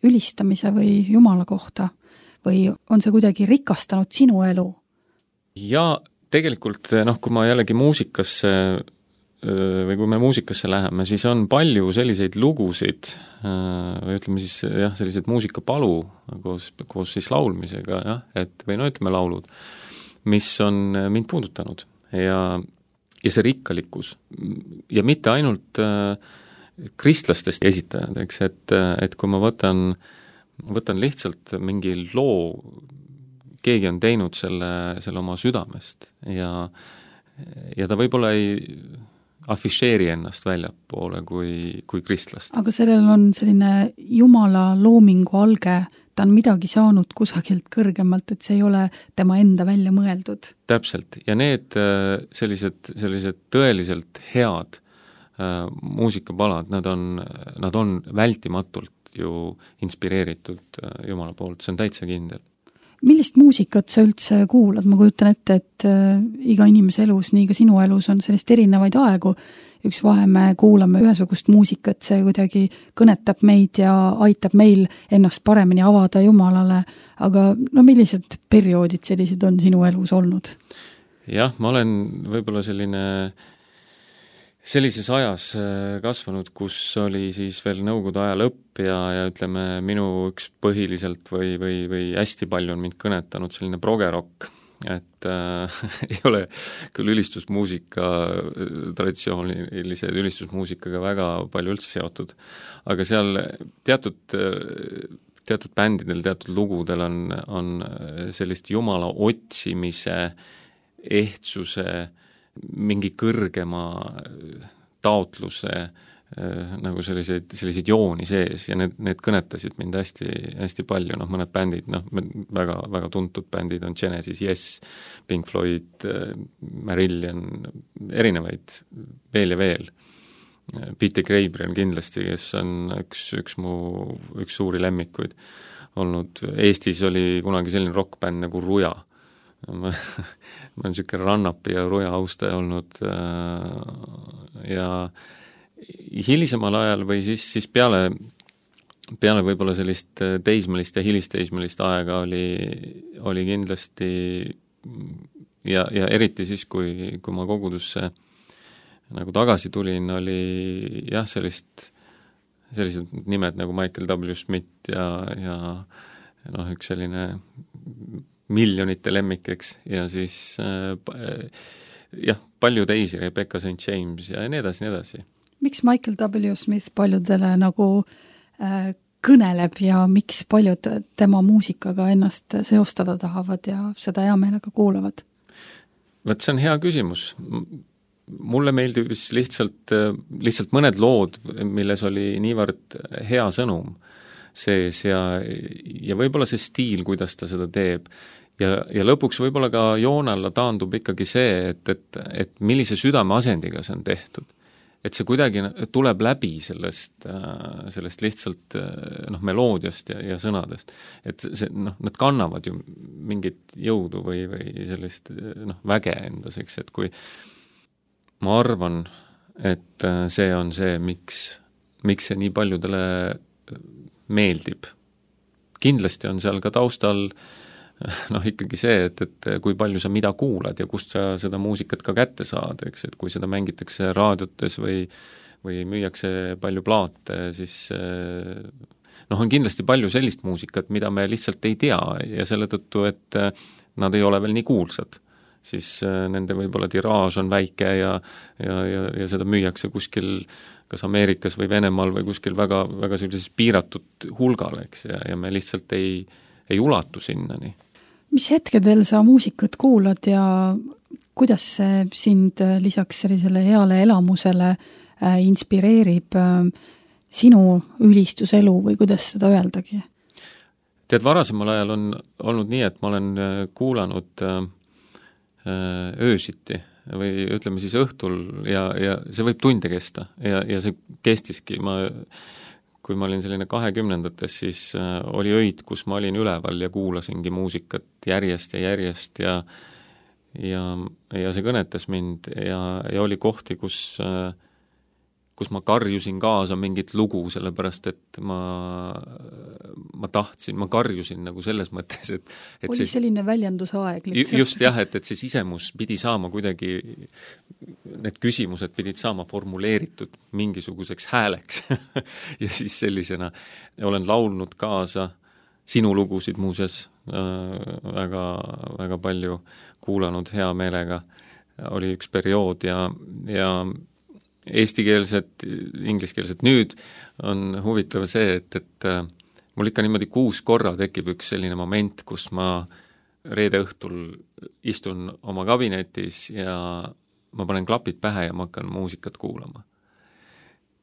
Speaker 2: ülistamise või Jumala kohta või on see kuidagi rikastanud sinu elu?
Speaker 3: Ja tegelikult, noh, kui ma jällegi muusikasse või kui me muusikasse läheme, siis on palju selliseid lugusid, või ütleme siis jah, sellised muusikapalu koos, koos siis laulmisega, jah, et või no ütleme laulud, mis on mind puudutanud ja, ja see rikkalikkus ja mitte ainult äh, kristlastest esitajad, eks, et, et kui ma võtan, võtan lihtsalt mingi loo, keegi on teinud selle, selle oma südamest ja, ja ta võib-olla ei afišeeri ennast väljapoole kui, kui kristlast.
Speaker 2: Aga sellel on selline Jumala loomingu alge, ta on midagi saanud kusagilt kõrgemalt, et see ei ole tema enda välja mõeldud.
Speaker 3: Täpselt, ja need sellised, sellised tõeliselt head äh, muusikapalad, nad on, nad on vältimatult ju inspireeritud äh, Jumala poolt, see on täitsa kindel.
Speaker 2: Millist muusikat sa üldse kuulad? Ma kujutan ette, et äh, iga inimese elus, nii ka sinu elus on sellist erinevaid aegu. Üks vahe me kuulame ühesugust muusikat, see kuidagi kõnetab meid ja aitab meil ennast paremini avada Jumalale, aga no millised perioodid sellised on sinu elus olnud?
Speaker 3: Jah, ma olen võib-olla selline sellises ajas kasvanud, kus oli siis veel Nõukogude aja lõpp ja, ja ütleme, minu üks põhiliselt või, või, või hästi palju on mind kõnetanud selline progerokk, et äh, ei ole küll ülistusmuusika, traditsioonilise ülistusmuusikaga väga palju üldse seotud, aga seal teatud, teatud bändidel, teatud lugudel on, on sellist Jumala otsimise, ehtsuse, mingi kõrgema taotluse nagu selliseid, selliseid jooni sees ja need, need kõnetasid mind hästi, hästi palju, noh mõned bändid, noh väga, väga tuntud bändid on Genesis, Yes, Pink Floyd, Marillion, erinevaid veel ja veel. Peter Gabriel kindlasti, kes on üks, üks mu, üks suuri lemmikuid olnud. Eestis oli kunagi selline rockbänd nagu Ruja. ma, ma olen niisugune rannapi ja Ruja austaja olnud ja hilisemal ajal või siis, siis peale, peale võib-olla sellist teismelist ja hilisteismelist aega oli, oli kindlasti ja, ja eriti siis, kui, kui ma kogudusse nagu tagasi tulin, oli jah, sellist, sellised nimed nagu Michael W. Smith ja, ja noh, üks selline miljonite lemmikeks ja siis äh, jah, palju teisi, Rebecca Saint James ja nii edasi, nii edasi.
Speaker 2: Miks Michael W. Smith paljudele nagu äh, kõneleb ja miks paljud tema muusikaga ennast seostada tahavad ja seda hea meelega kuulavad?
Speaker 3: Võt, see on hea küsimus. Mulle meeldis lihtsalt, lihtsalt mõned lood, milles oli niivõrd hea sõnum sees ja, ja võib-olla see stiil, kuidas ta seda teeb ja, ja lõpuks võib-olla ka joone alla taandub ikkagi see, et, et, et millise südameasendiga see on tehtud. Et see kuidagi tuleb läbi sellest, sellest lihtsalt noh, meloodiast ja, ja sõnadest. Et see, noh, nad kannavad ju mingit jõudu või, või sellist noh, väge endas, eks, et kui ma arvan, et see on see, miks, miks see nii paljudele meeldib. Kindlasti on seal ka taustal noh, ikkagi see, et, et kui palju sa mida kuulad ja kust sa seda muusikat ka kätte saad, eks, et kui seda mängitakse raadiotes või, või müüakse palju plaate, siis noh, on kindlasti palju sellist muusikat, mida me lihtsalt ei tea ja selle tõttu, et nad ei ole veel nii kuulsad. Siis nende võib-olla tiraaž on väike ja, ja, ja, ja seda müüakse kuskil kas Ameerikas või Venemaal või kuskil väga, väga sellises piiratud hulgal, eks, ja, ja me lihtsalt ei, ei ulatu sinnani.
Speaker 2: Mis hetkedel sa muusikat kuulad ja kuidas see sind lisaks sellisele heale elamusele inspireerib sinu ülistuselu või kuidas seda öeldagi?
Speaker 3: Tead, varasemal ajal on olnud nii, et ma olen kuulanud öösiti või ütleme siis õhtul ja, ja see võib tunde kesta ja, ja see kestiski. Ma kui ma olin selline kahekümnendates, siis oli öid, kus ma olin üleval ja kuulasingi muusikat järjest ja järjest ja ja, ja see kõnetas mind ja, ja oli kohti, kus, kus ma karjusin kaasa mingit lugu, sellepärast et ma, ma tahtsin, ma karjusin nagu selles mõttes, et, et
Speaker 2: oli see, selline väljendusaeg lihtsalt.
Speaker 3: Just jah, et, et see sisemus pidi saama kuidagi, need küsimused pidid saama formuleeritud mingisuguseks hääleks ja siis sellisena olen laulnud kaasa sinu lugusid muuseas äh, väga, väga palju kuulanud hea meelega. Oli üks periood ja, ja eestikeelset, ingliskeelset. Nüüd on huvitav see, et, et äh, mul ikka niimoodi kuus korra tekib üks selline moment, kus ma reede õhtul istun oma kabinetis ja ma panen klapid pähe ja ma hakkan muusikat kuulama.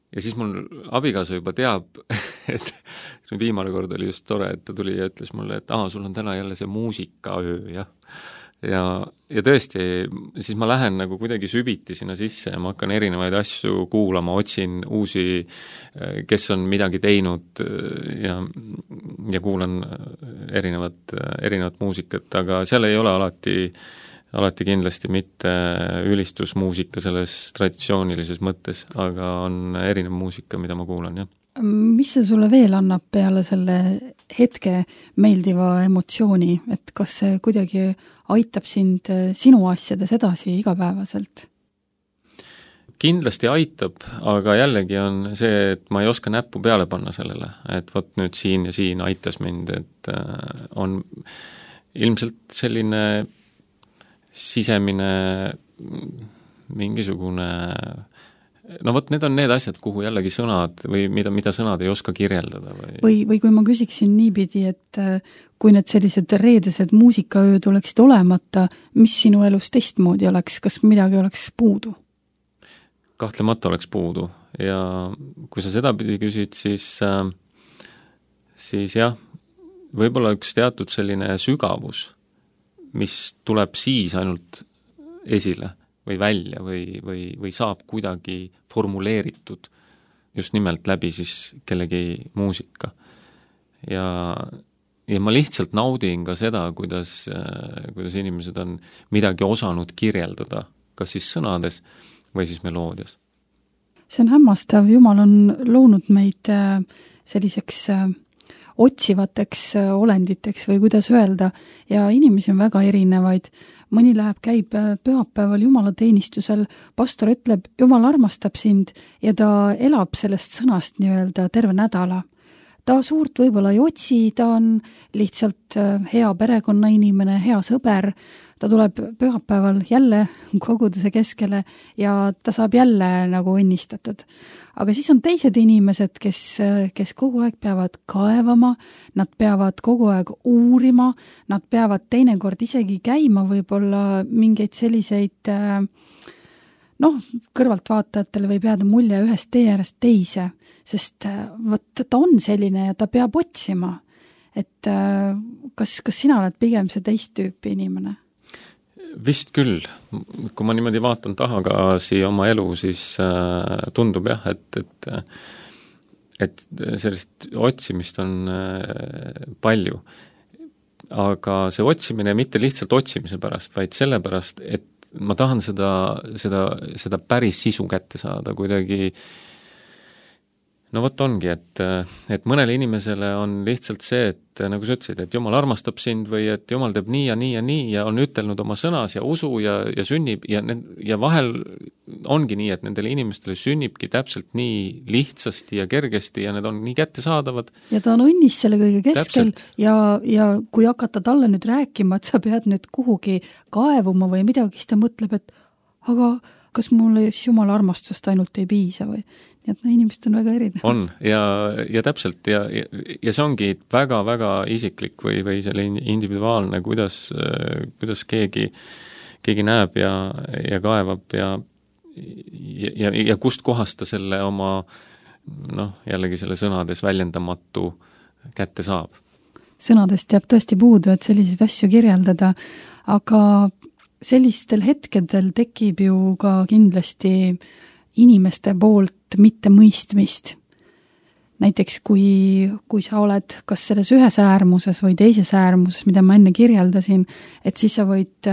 Speaker 3: Ja siis mul abikaasa juba teab, et viimane kord oli just tore, et ta tuli ja ütles mulle, et aa, sul on täna jälle see muusikaöö, jah. Ja, ja tõesti, siis ma lähen nagu kuidagi süviti sinna sisse ja ma hakkan erinevaid asju kuulama, otsin uusi, kes on midagi teinud ja, ja kuulan erinevat, erinevat muusikat, aga seal ei ole alati alati kindlasti mitte ülistusmuusika selles traditsioonilises mõttes, aga on erinev muusika, mida ma kuulan, jah.
Speaker 2: Mis see sulle veel annab peale selle hetke meeldiva emotsiooni, et kas see kuidagi aitab sind sinu asjades edasi igapäevaselt?
Speaker 3: Kindlasti aitab, aga jällegi on see, et ma ei oska näppu peale panna sellele, et vot nüüd siin ja siin aitas mind, et on ilmselt selline sisemine mingisugune, no vot, need on need asjad, kuhu jällegi sõnad või mida, mida sõnad ei oska kirjeldada. Või,
Speaker 2: või, või kui ma küsiksin niipidi, et kui need sellised reedesed muusikaööd oleksid olemata, mis sinu elus teistmoodi oleks, kas midagi oleks puudu?
Speaker 3: Kahtlemata oleks puudu ja kui sa seda pidi küsid, siis, siis jah, võib-olla üks teatud selline sügavus, mis tuleb siis ainult esile või välja või, või, või saab kuidagi formuleeritud just nimelt läbi siis kellegi muusika. Ja, ja ma lihtsalt naudin ka seda, kuidas, kuidas inimesed on midagi osanud kirjeldada, kas siis sõnades või siis meloodias.
Speaker 2: See on hämmastav, Jumal on loonud meid selliseks otsivateks olenditeks või kuidas öelda, ja inimesi on väga erinevaid. Mõni läheb, käib pühapäeval jumalateenistusel, pastor ütleb, Jumal armastab sind ja ta elab sellest sõnast nii-öelda terve nädala. Ta suurt võib-olla ei otsi, ta on lihtsalt hea perekonnainimene, hea sõber, ta tuleb pühapäeval jälle koguduse keskele ja ta saab jälle nagu õnnistatud. Aga siis on teised inimesed, kes, kes kogu aeg peavad kaevama, nad peavad kogu aeg uurima, nad peavad teinekord isegi käima võib-olla mingeid selliseid, noh, kõrvaltvaatajatele võib jääda mulje ühest tee äärest teise, sest võt, ta on selline ja ta peab otsima. et kas, kas sina oled pigem see teist tüüpi inimene?
Speaker 3: Vist küll. Kui ma niimoodi vaatan tagasi oma elu, siis äh, tundub jah, et, et, et sellist otsimist on äh, palju. Aga see otsimine mitte lihtsalt otsimise pärast, vaid selle pärast, et ma tahan seda, seda, seda päris sisu kätte saada kuidagi. No vot ongi, et, et mõnele inimesele on lihtsalt see, et nagu sa ütlesid, et Jumal armastab sind või et Jumal teeb nii ja nii ja nii ja on ütelnud oma sõnas ja usu ja, ja sünnib ja, ja vahel ongi nii, et nendele inimestele sünnibki täpselt nii lihtsasti ja kergesti ja need on nii kättesaadavad.
Speaker 2: Ja ta on õnnis selle kõige keskel ja, ja kui hakata talle nüüd rääkima, et sa pead nüüd kuhugi kaevuma või midagi, siis ta mõtleb, et aga kas mulle Jumala armastusest ainult ei piisa või? Nii et no, inimesed on väga erinev.
Speaker 3: On, ja, ja täpselt, ja, ja, ja see ongi väga-väga isiklik või, või selle individuaalne, kuidas, kuidas keegi, keegi näeb ja, ja kaevab ja, ja, ja kust kohast ta selle oma, noh, jällegi selle sõnades väljendamatu kätte saab.
Speaker 2: Sõnadest jääb tõesti puudu, et selliseid asju kirjeldada, aga sellistel hetkedel tekib ju ka kindlasti inimeste poolt mitte mõistmist. Näiteks kui, kui sa oled kas selles ühes äärmuses või teises äärmuses, mida ma enne kirjeldasin, et siis sa võid,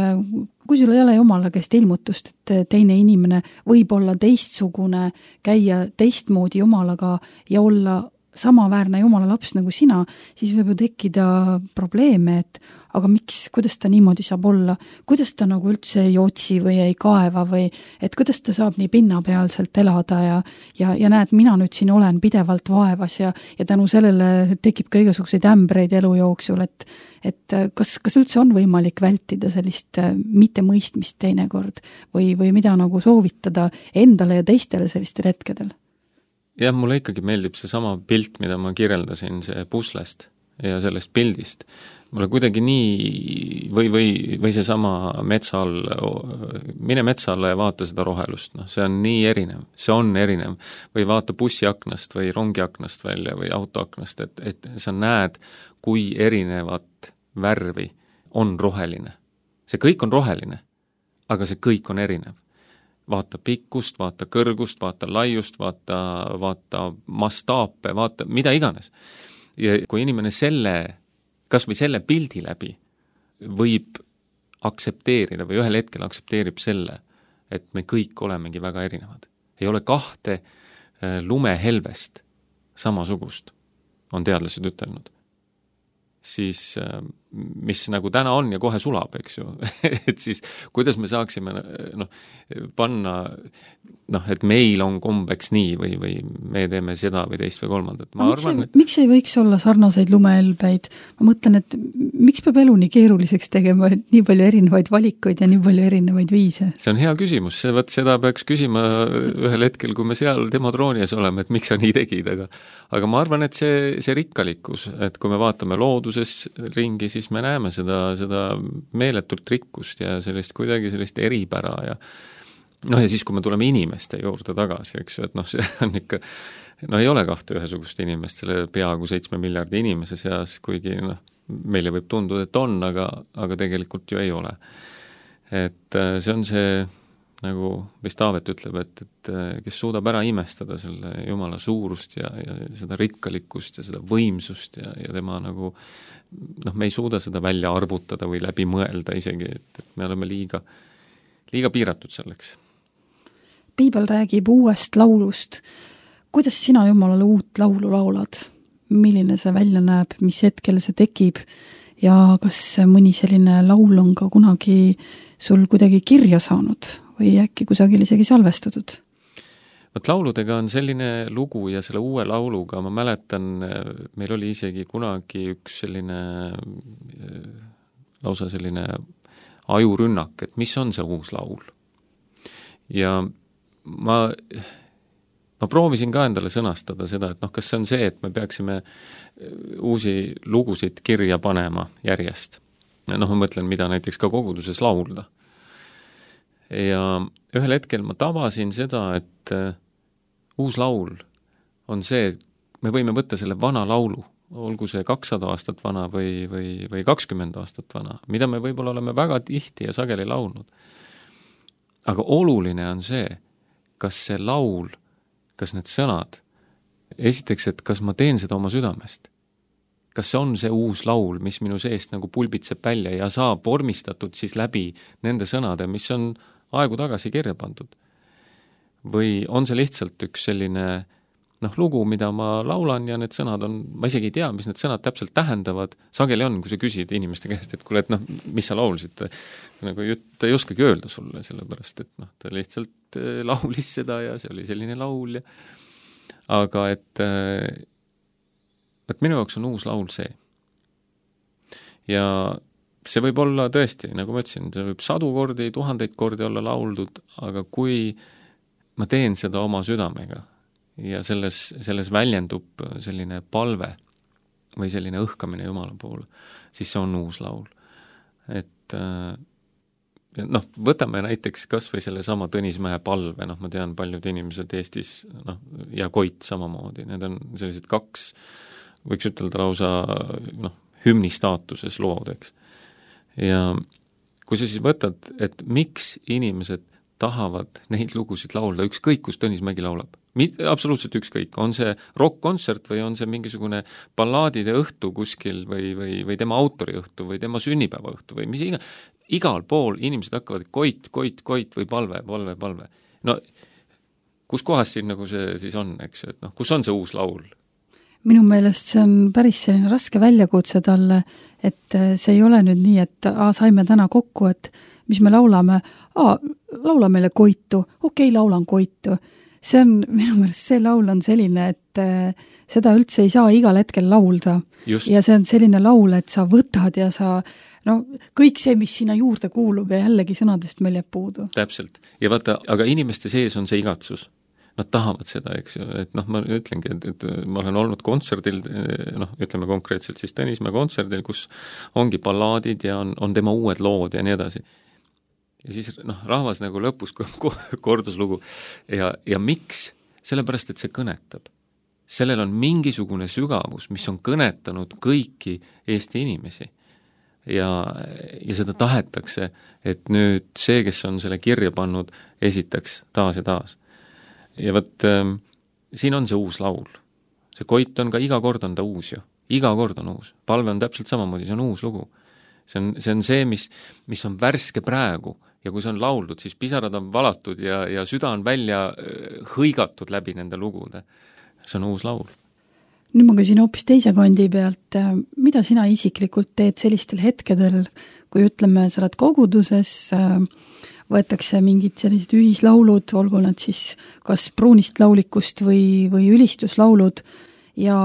Speaker 2: kui sul ei ole Jumala käest ilmutust, et teine inimene võib olla teistsugune, käia teistmoodi Jumalaga ja olla samaväärne Jumala laps nagu sina, siis võib ju tekkida probleeme, et aga miks, kuidas ta niimoodi saab olla, kuidas ta nagu üldse ei otsi või ei kaeva või et kuidas ta saab nii pinnapealselt elada ja, ja, ja näed, mina nüüd siin olen pidevalt vaevas ja, ja tänu sellele tekib ka igasuguseid ämbreid elu jooksul, et, et kas, kas üldse on võimalik vältida sellist mittemõistmist teinekord või, või mida nagu soovitada endale ja teistele sellistel hetkedel?
Speaker 3: Jah, mulle ikkagi meeldib see sama pilt, mida ma kirjeldasin, see puslest ja sellest pildist. Mulle kuidagi nii, või, või, või see sama metsa all, mine metsa alla ja vaata seda rohelust, noh, see on nii erinev, see on erinev. Või vaata bussiaknast või rongiaknast välja või autoaknast, et, et sa näed, kui erinevat värvi on roheline. See kõik on roheline, aga see kõik on erinev. Vaata pikkust, vaata kõrgust, vaata laiust, vaata, vaata mastaape, vaata mida iganes. Ja kui inimene selle, kas või selle pildi läbi võib aksepteerida või ühel hetkel aksepteerib selle, et me kõik olemegi väga erinevad. Ei ole kahte lumehelvest samasugust, on teadlased ütelnud. Siis mis nagu täna on ja kohe sulab, eks ju, et siis kuidas me saaksime noh, panna, noh, et meil on kombeks nii või, või me teeme seda või teist või kolmandat. Ma
Speaker 2: miks,
Speaker 3: arvan,
Speaker 2: ei, et... miks ei võiks olla sarnaseid lumehelbeid? Ma mõtlen, et miks peab elu nii keeruliseks tegema nii palju erinevaid valikuid ja nii palju erinevaid viise?
Speaker 3: See on hea küsimus, see, võt, seda peaks küsima ühel hetkel, kui me seal tema troonies oleme, et miks sa nii tegid, aga, aga ma arvan, et see, see rikkalikkus, et kui me vaatame looduses ringi, siis me näeme seda, seda meeletult rikkust ja sellist kuidagi sellist eripära ja noh, ja siis, kui me tuleme inimeste juurde tagasi, eks ju, et noh, see on ikka, no ei ole kahte ühesugust inimest selle peaaegu seitsme miljardi inimese seas, kuigi noh, meile võib tunduda, et on, aga, aga tegelikult ju ei ole. Et see on see, nagu vist Taavet ütleb, et, et kes suudab ära imestada selle Jumala suurust ja, ja seda rikkalikkust ja seda võimsust ja, ja tema nagu noh, me ei suuda seda välja arvutada või läbi mõelda isegi, et, et me oleme liiga, liiga piiratud selleks.
Speaker 2: Piibel räägib uuest laulust. Kuidas sina Jumalale uut laulu laulad? Milline see välja näeb, mis hetkel see tekib ja kas mõni selline laul on ka kunagi sul kuidagi kirja saanud või äkki kusagil isegi salvestatud?
Speaker 3: Võt lauludega on selline lugu ja selle uue lauluga ma mäletan, meil oli isegi kunagi üks selline lausa selline ajurünnak, et mis on see uus laul. Ja ma, ma proovisin ka endale sõnastada seda, et noh, kas see on see, et me peaksime uusi lugusid kirja panema järjest. Noh, ma mõtlen, mida näiteks ka koguduses laulda. Ja ühel hetkel ma tabasin seda, et uus laul on see, et me võime võtta selle vana laulu, olgu see kakssada aastat vana või, või, või kakskümmend aastat vana, mida me võib-olla oleme väga tihti ja sageli laulnud. Aga oluline on see, kas see laul, kas need sõnad, esiteks, et kas ma teen seda oma südamest. Kas see on see uus laul, mis minu seest nagu pulbitseb välja ja saab vormistatud siis läbi nende sõnade, mis on aegu tagasi kirja pandud. Või on see lihtsalt üks selline noh, lugu, mida ma laulan ja need sõnad on, ma isegi ei tea, mis need sõnad täpselt tähendavad, sageli on, kui sa küsid inimeste käest, et kuule, et noh, mis sa laulsid, nagu ta ei oskagi öelda sulle, sellepärast, et noh, ta lihtsalt laulis seda ja see oli selline laul ja aga et et minu jaoks on uus laul see. Ja see võib olla tõesti, nagu ma ütlesin, see võib sadu kordi, tuhandeid kordi olla lauldud, aga kui ma teen seda oma südamega ja selles, selles väljendub selline palve või selline õhkamine Jumala poole, siis see on uus laul. Et noh, võtame näiteks kas või selle sama Tõnismäe palve, noh, ma tean, paljud inimesed Eestis, noh, ja Koit samamoodi, need on sellised kaks, võiks ütelda lausa, noh, hümni staatuses lood, eks. Ja kui sa siis võtad, et miks inimesed tahavad neid lugusid laulda, ükskõik, kus Tõnismägi laulab, absoluutselt ükskõik, on see rock-kontsert või on see mingisugune ballaadide õhtu kuskil või, või, või tema autori õhtu või tema sünnipäeva õhtu või mis iga, igal pool inimesed hakkavad koit, koit, koit või palve, palve, palve. No kus kohas siin nagu see siis on, eks, et noh, kus on see uus laul?
Speaker 2: Minu meelest see on päris selline raske väljakutse talle, et see ei ole nüüd nii, et a, saime täna kokku, et mis me laulame, a, laula meile Koitu, okei, laulan Koitu. See on, minu meelest see laul on selline, et seda üldse ei saa igal hetkel laulda. Just. Ja see on selline laul, et sa võtad ja sa, no kõik see, mis sinna juurde kuulub ja jällegi sõnadest meil jääb puudu.
Speaker 3: Täpselt. Ja vaata, aga inimeste sees on see igatsus. Nad tahavad seda, eks ju, et noh, ma ütlengi, et, et ma olen olnud kontserdil, noh, ütleme konkreetselt siis Tõnismäe kontserdil, kus ongi ballaadid ja on, on tema uued lood ja nii edasi. Ja siis noh, rahvas nagu lõpus kordus lugu. Ja, ja miks? Sellepärast, et see kõnetab. Sellel on mingisugune sügavus, mis on kõnetanud kõiki Eesti inimesi. Ja, ja seda tahetakse, et nüüd see, kes on selle kirja pannud, esitaks taas ja taas. Ja võt, äh, siin on see uus laul. See Koit on ka iga kord on ta uus ju. Iga kord on uus. Palve on täpselt samamoodi, see on uus lugu. See on see, on see mis, mis on värske praegu ja kui see on lauldud, siis pisarad on valatud ja, ja süda on välja hõigatud läbi nende lugude. See on uus laul.
Speaker 2: Nüüd ma küsin hoopis teise kandi pealt, mida sina isiklikult teed sellistel hetkedel, kui ütleme, sa oled koguduses, võetakse mingid sellised ühislaulud, olgu nad siis kas pruunist laulikust või, või ülistuslaulud ja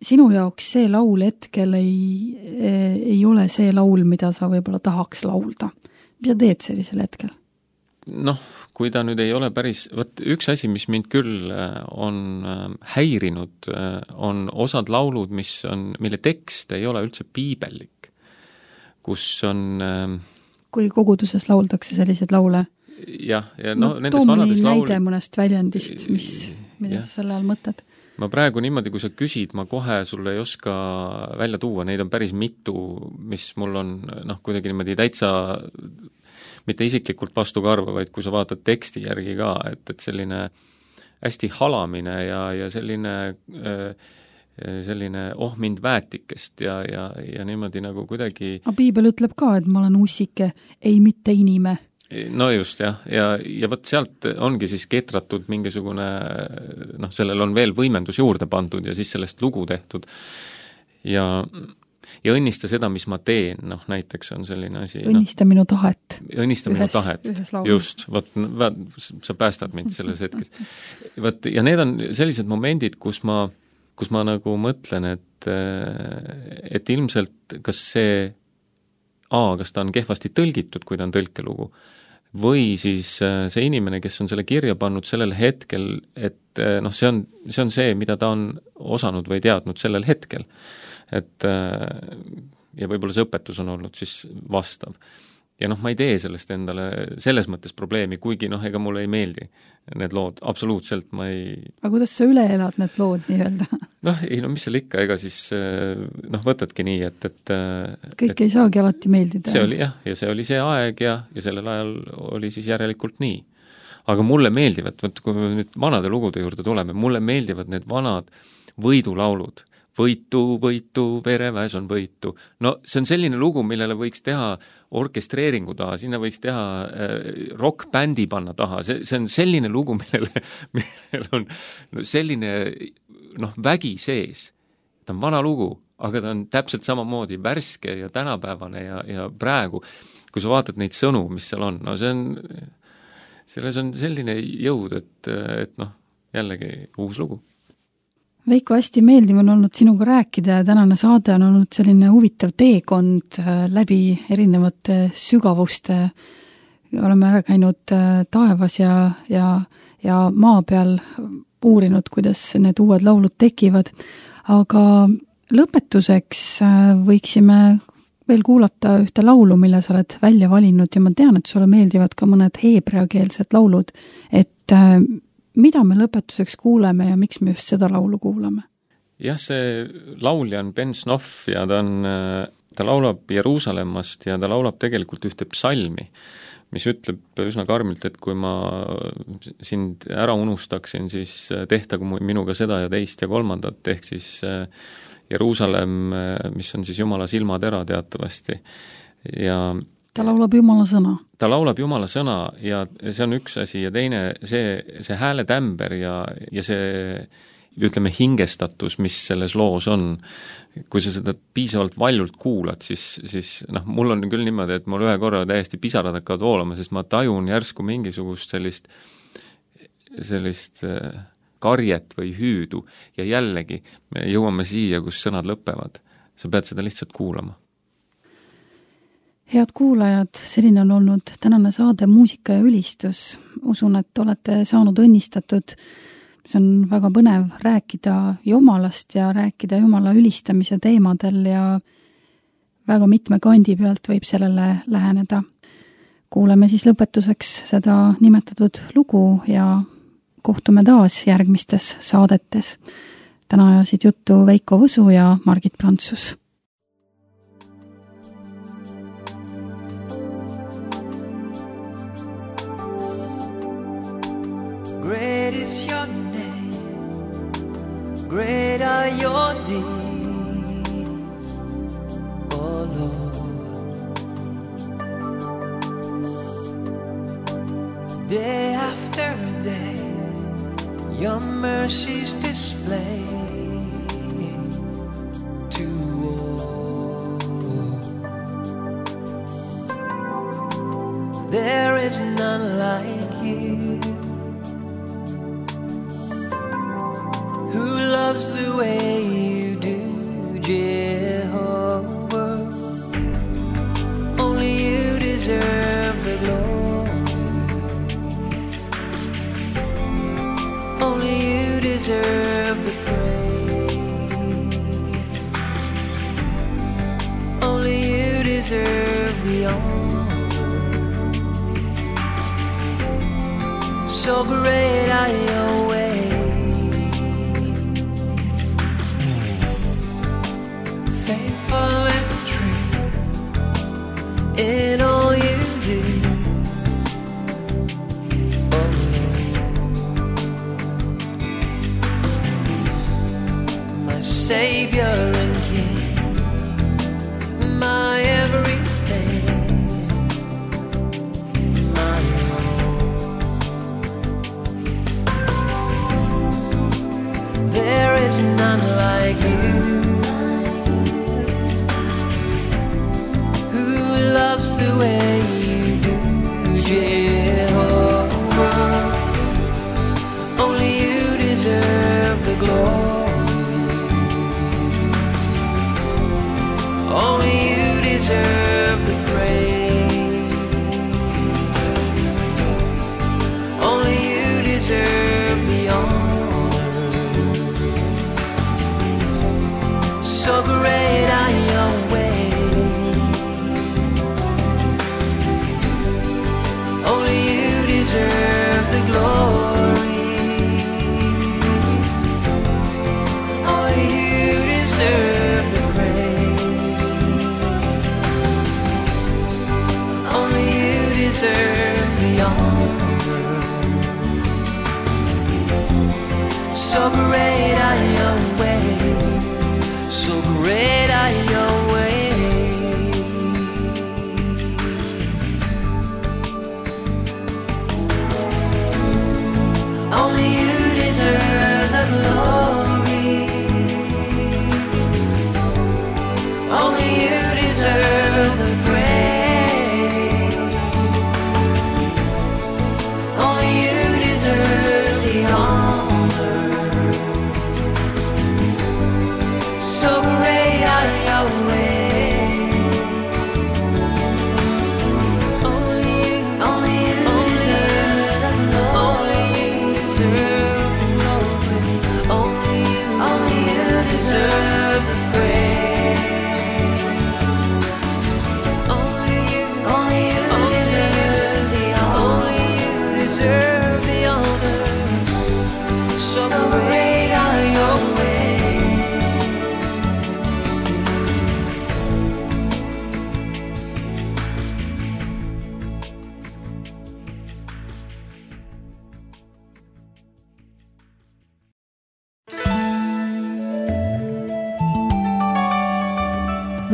Speaker 2: sinu jaoks see laul hetkel ei, ei ole see laul, mida sa võib-olla tahaks laulda. Mis sa teed sellisel hetkel?
Speaker 3: Noh, kui ta nüüd ei ole päris, võt, üks asi, mis mind küll on häirinud, on osad laulud, mis on, mille tekst ei ole üldse piibellik, kus on
Speaker 2: kui koguduses lauldakse sellised laule.
Speaker 3: Jah, ja no,
Speaker 2: no too mõni näide laul... mõnest väljendist, mis, mida sa selle all mõtled?
Speaker 3: Ma praegu niimoodi, kui sa küsid, ma kohe sulle ei oska välja tuua, neid on päris mitu, mis mul on noh, kuidagi niimoodi täitsa mitte isiklikult vastu karva, vaid kui sa vaatad teksti järgi ka, et, et selline hästi halamine ja, ja selline äh, selline oh mind väetikest ja, ja, ja niimoodi nagu kuidagi...
Speaker 2: A piibel ütleb ka, et ma olen ussike, ei mitte inime.
Speaker 3: No just, jah. Ja, ja võt sealt ongi siis ketratud mingisugune, noh, sellel on veel võimendus juurde pandud ja siis sellest lugu tehtud. Ja, ja õnnista seda, mis ma teen, noh, näiteks on selline asi...
Speaker 2: Õnnista no, minu tahet.
Speaker 3: Õnnista ühes, minu tahet, just. Võt, sa päästad mind selles hetkes. Võt, ja need on sellised momendid, kus ma kus ma nagu mõtlen, et, et ilmselt kas see A, kas ta on kehvasti tõlgitud, kui ta on tõlkelugu, või siis see inimene, kes on selle kirja pannud sellel hetkel, et noh, see on, see on see, mida ta on osanud või teadnud sellel hetkel. Et ja võib-olla see õpetus on olnud siis vastav. ja noh, ma ei tee sellest endale selles mõttes probleemi, kuigi noh, ega mulle ei meeldi need lood, absoluutselt ma ei...
Speaker 2: Aga kuidas sa üle elad need lood nii-öelda?
Speaker 3: Noh, ei no mis seal ikka, ega siis noh, võtadki nii, et, et
Speaker 2: kõik
Speaker 3: et,
Speaker 2: ei saagi alati meeldida.
Speaker 3: See oli jah, ja see oli see aeg ja, ja sellel ajal oli siis järelikult nii. Aga mulle meeldivad, võt, kui me nüüd vanade lugude juurde tuleme, mulle meeldivad need vanad võidulaulud. Võitu, võitu, vereväes on võitu. No see on selline lugu, millele võiks teha orkestreeringu taha, sinna võiks teha äh, rock-bändi panna taha. See, see on selline lugu, millele, millele on selline noh, vägi sees. Ta on vana lugu, aga ta on täpselt samamoodi värske ja tänapäevane ja, ja praegu, kui sa vaatad neid sõnu, mis seal on, no see on, selles on selline jõud, et, et noh, jällegi uus lugu.
Speaker 2: Veiko, hästi meeldiv on olnud sinuga rääkida ja tänane saade on olnud selline huvitav teekond läbi erinevate sügavuste. Oleme ära käinud taevas ja, ja, ja maa peal uurinud, kuidas need uued laulud tekivad. Aga lõpetuseks võiksime veel kuulata ühte laulu, mille sa oled välja valinud ja ma tean, et sulle meeldivad ka mõned heebreakeelsed laulud, et mida me lõpetuseks kuuleme ja miks me just seda laulu kuulame?
Speaker 3: Jah, see laulja on Ben Snoff ja ta on, ta laulab Jeruusalemmast ja ta laulab tegelikult ühte psalmi, mis ütleb üsna karmilt, et kui ma sind ära unustaksin, siis tehtagu minuga seda ja teist ja kolmandat, ehk siis Jeruusalemm, mis on siis Jumala silmatera teatavasti. Ja
Speaker 2: ta laulab Jumala sõna.
Speaker 3: Ta laulab Jumala sõna ja see on üks asi ja teine, see, see hääletämber ja, ja see, ütleme, hingestatus, mis selles loos on. Kui sa seda piisavalt valjult kuulad, siis, siis noh, mul on küll niimoodi, et mul ühe korra täiesti pisarad hakkavad voolama, sest ma tajun järsku mingisugust sellist, sellist karjet või hüüdu ja jällegi me jõuame siia, kus sõnad lõpevad. Sa pead seda lihtsalt kuulama.
Speaker 2: Head kuulajad, selline on olnud tänane saade Muusika ja ülistus. Usun, et olete saanud õnnistatud. See on väga põnev rääkida Jumalast ja rääkida Jumala ülistamise teemadel ja väga mitme kandi pealt võib sellele läheneda. Kuuleme siis lõpetuseks seda nimetatud lugu ja kohtume taas järgmistes saadetes. Täna ajasid juttu Veiko Võsu ja Margit Prantsus.
Speaker 4: Great is your name, great are your deeds, oh Lord. Day after day, your mercies display to all. There is none like you, who loves the way you do, Jehovah. Only you deserve the glory, only you deserve the praise, only you deserve the honor. So great are your ways, faithful and true in all you do, oh Lord. My Savior and King, my everything, my all. There is none like you, loves the way you do, Jehovah. Only you deserve the glory, only you deserve the praise, only you deserve the honor. So great are your ways,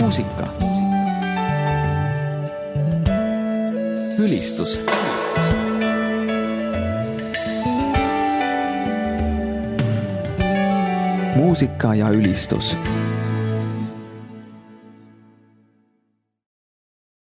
Speaker 1: muusika. Ülistus. Muusika ja ülistus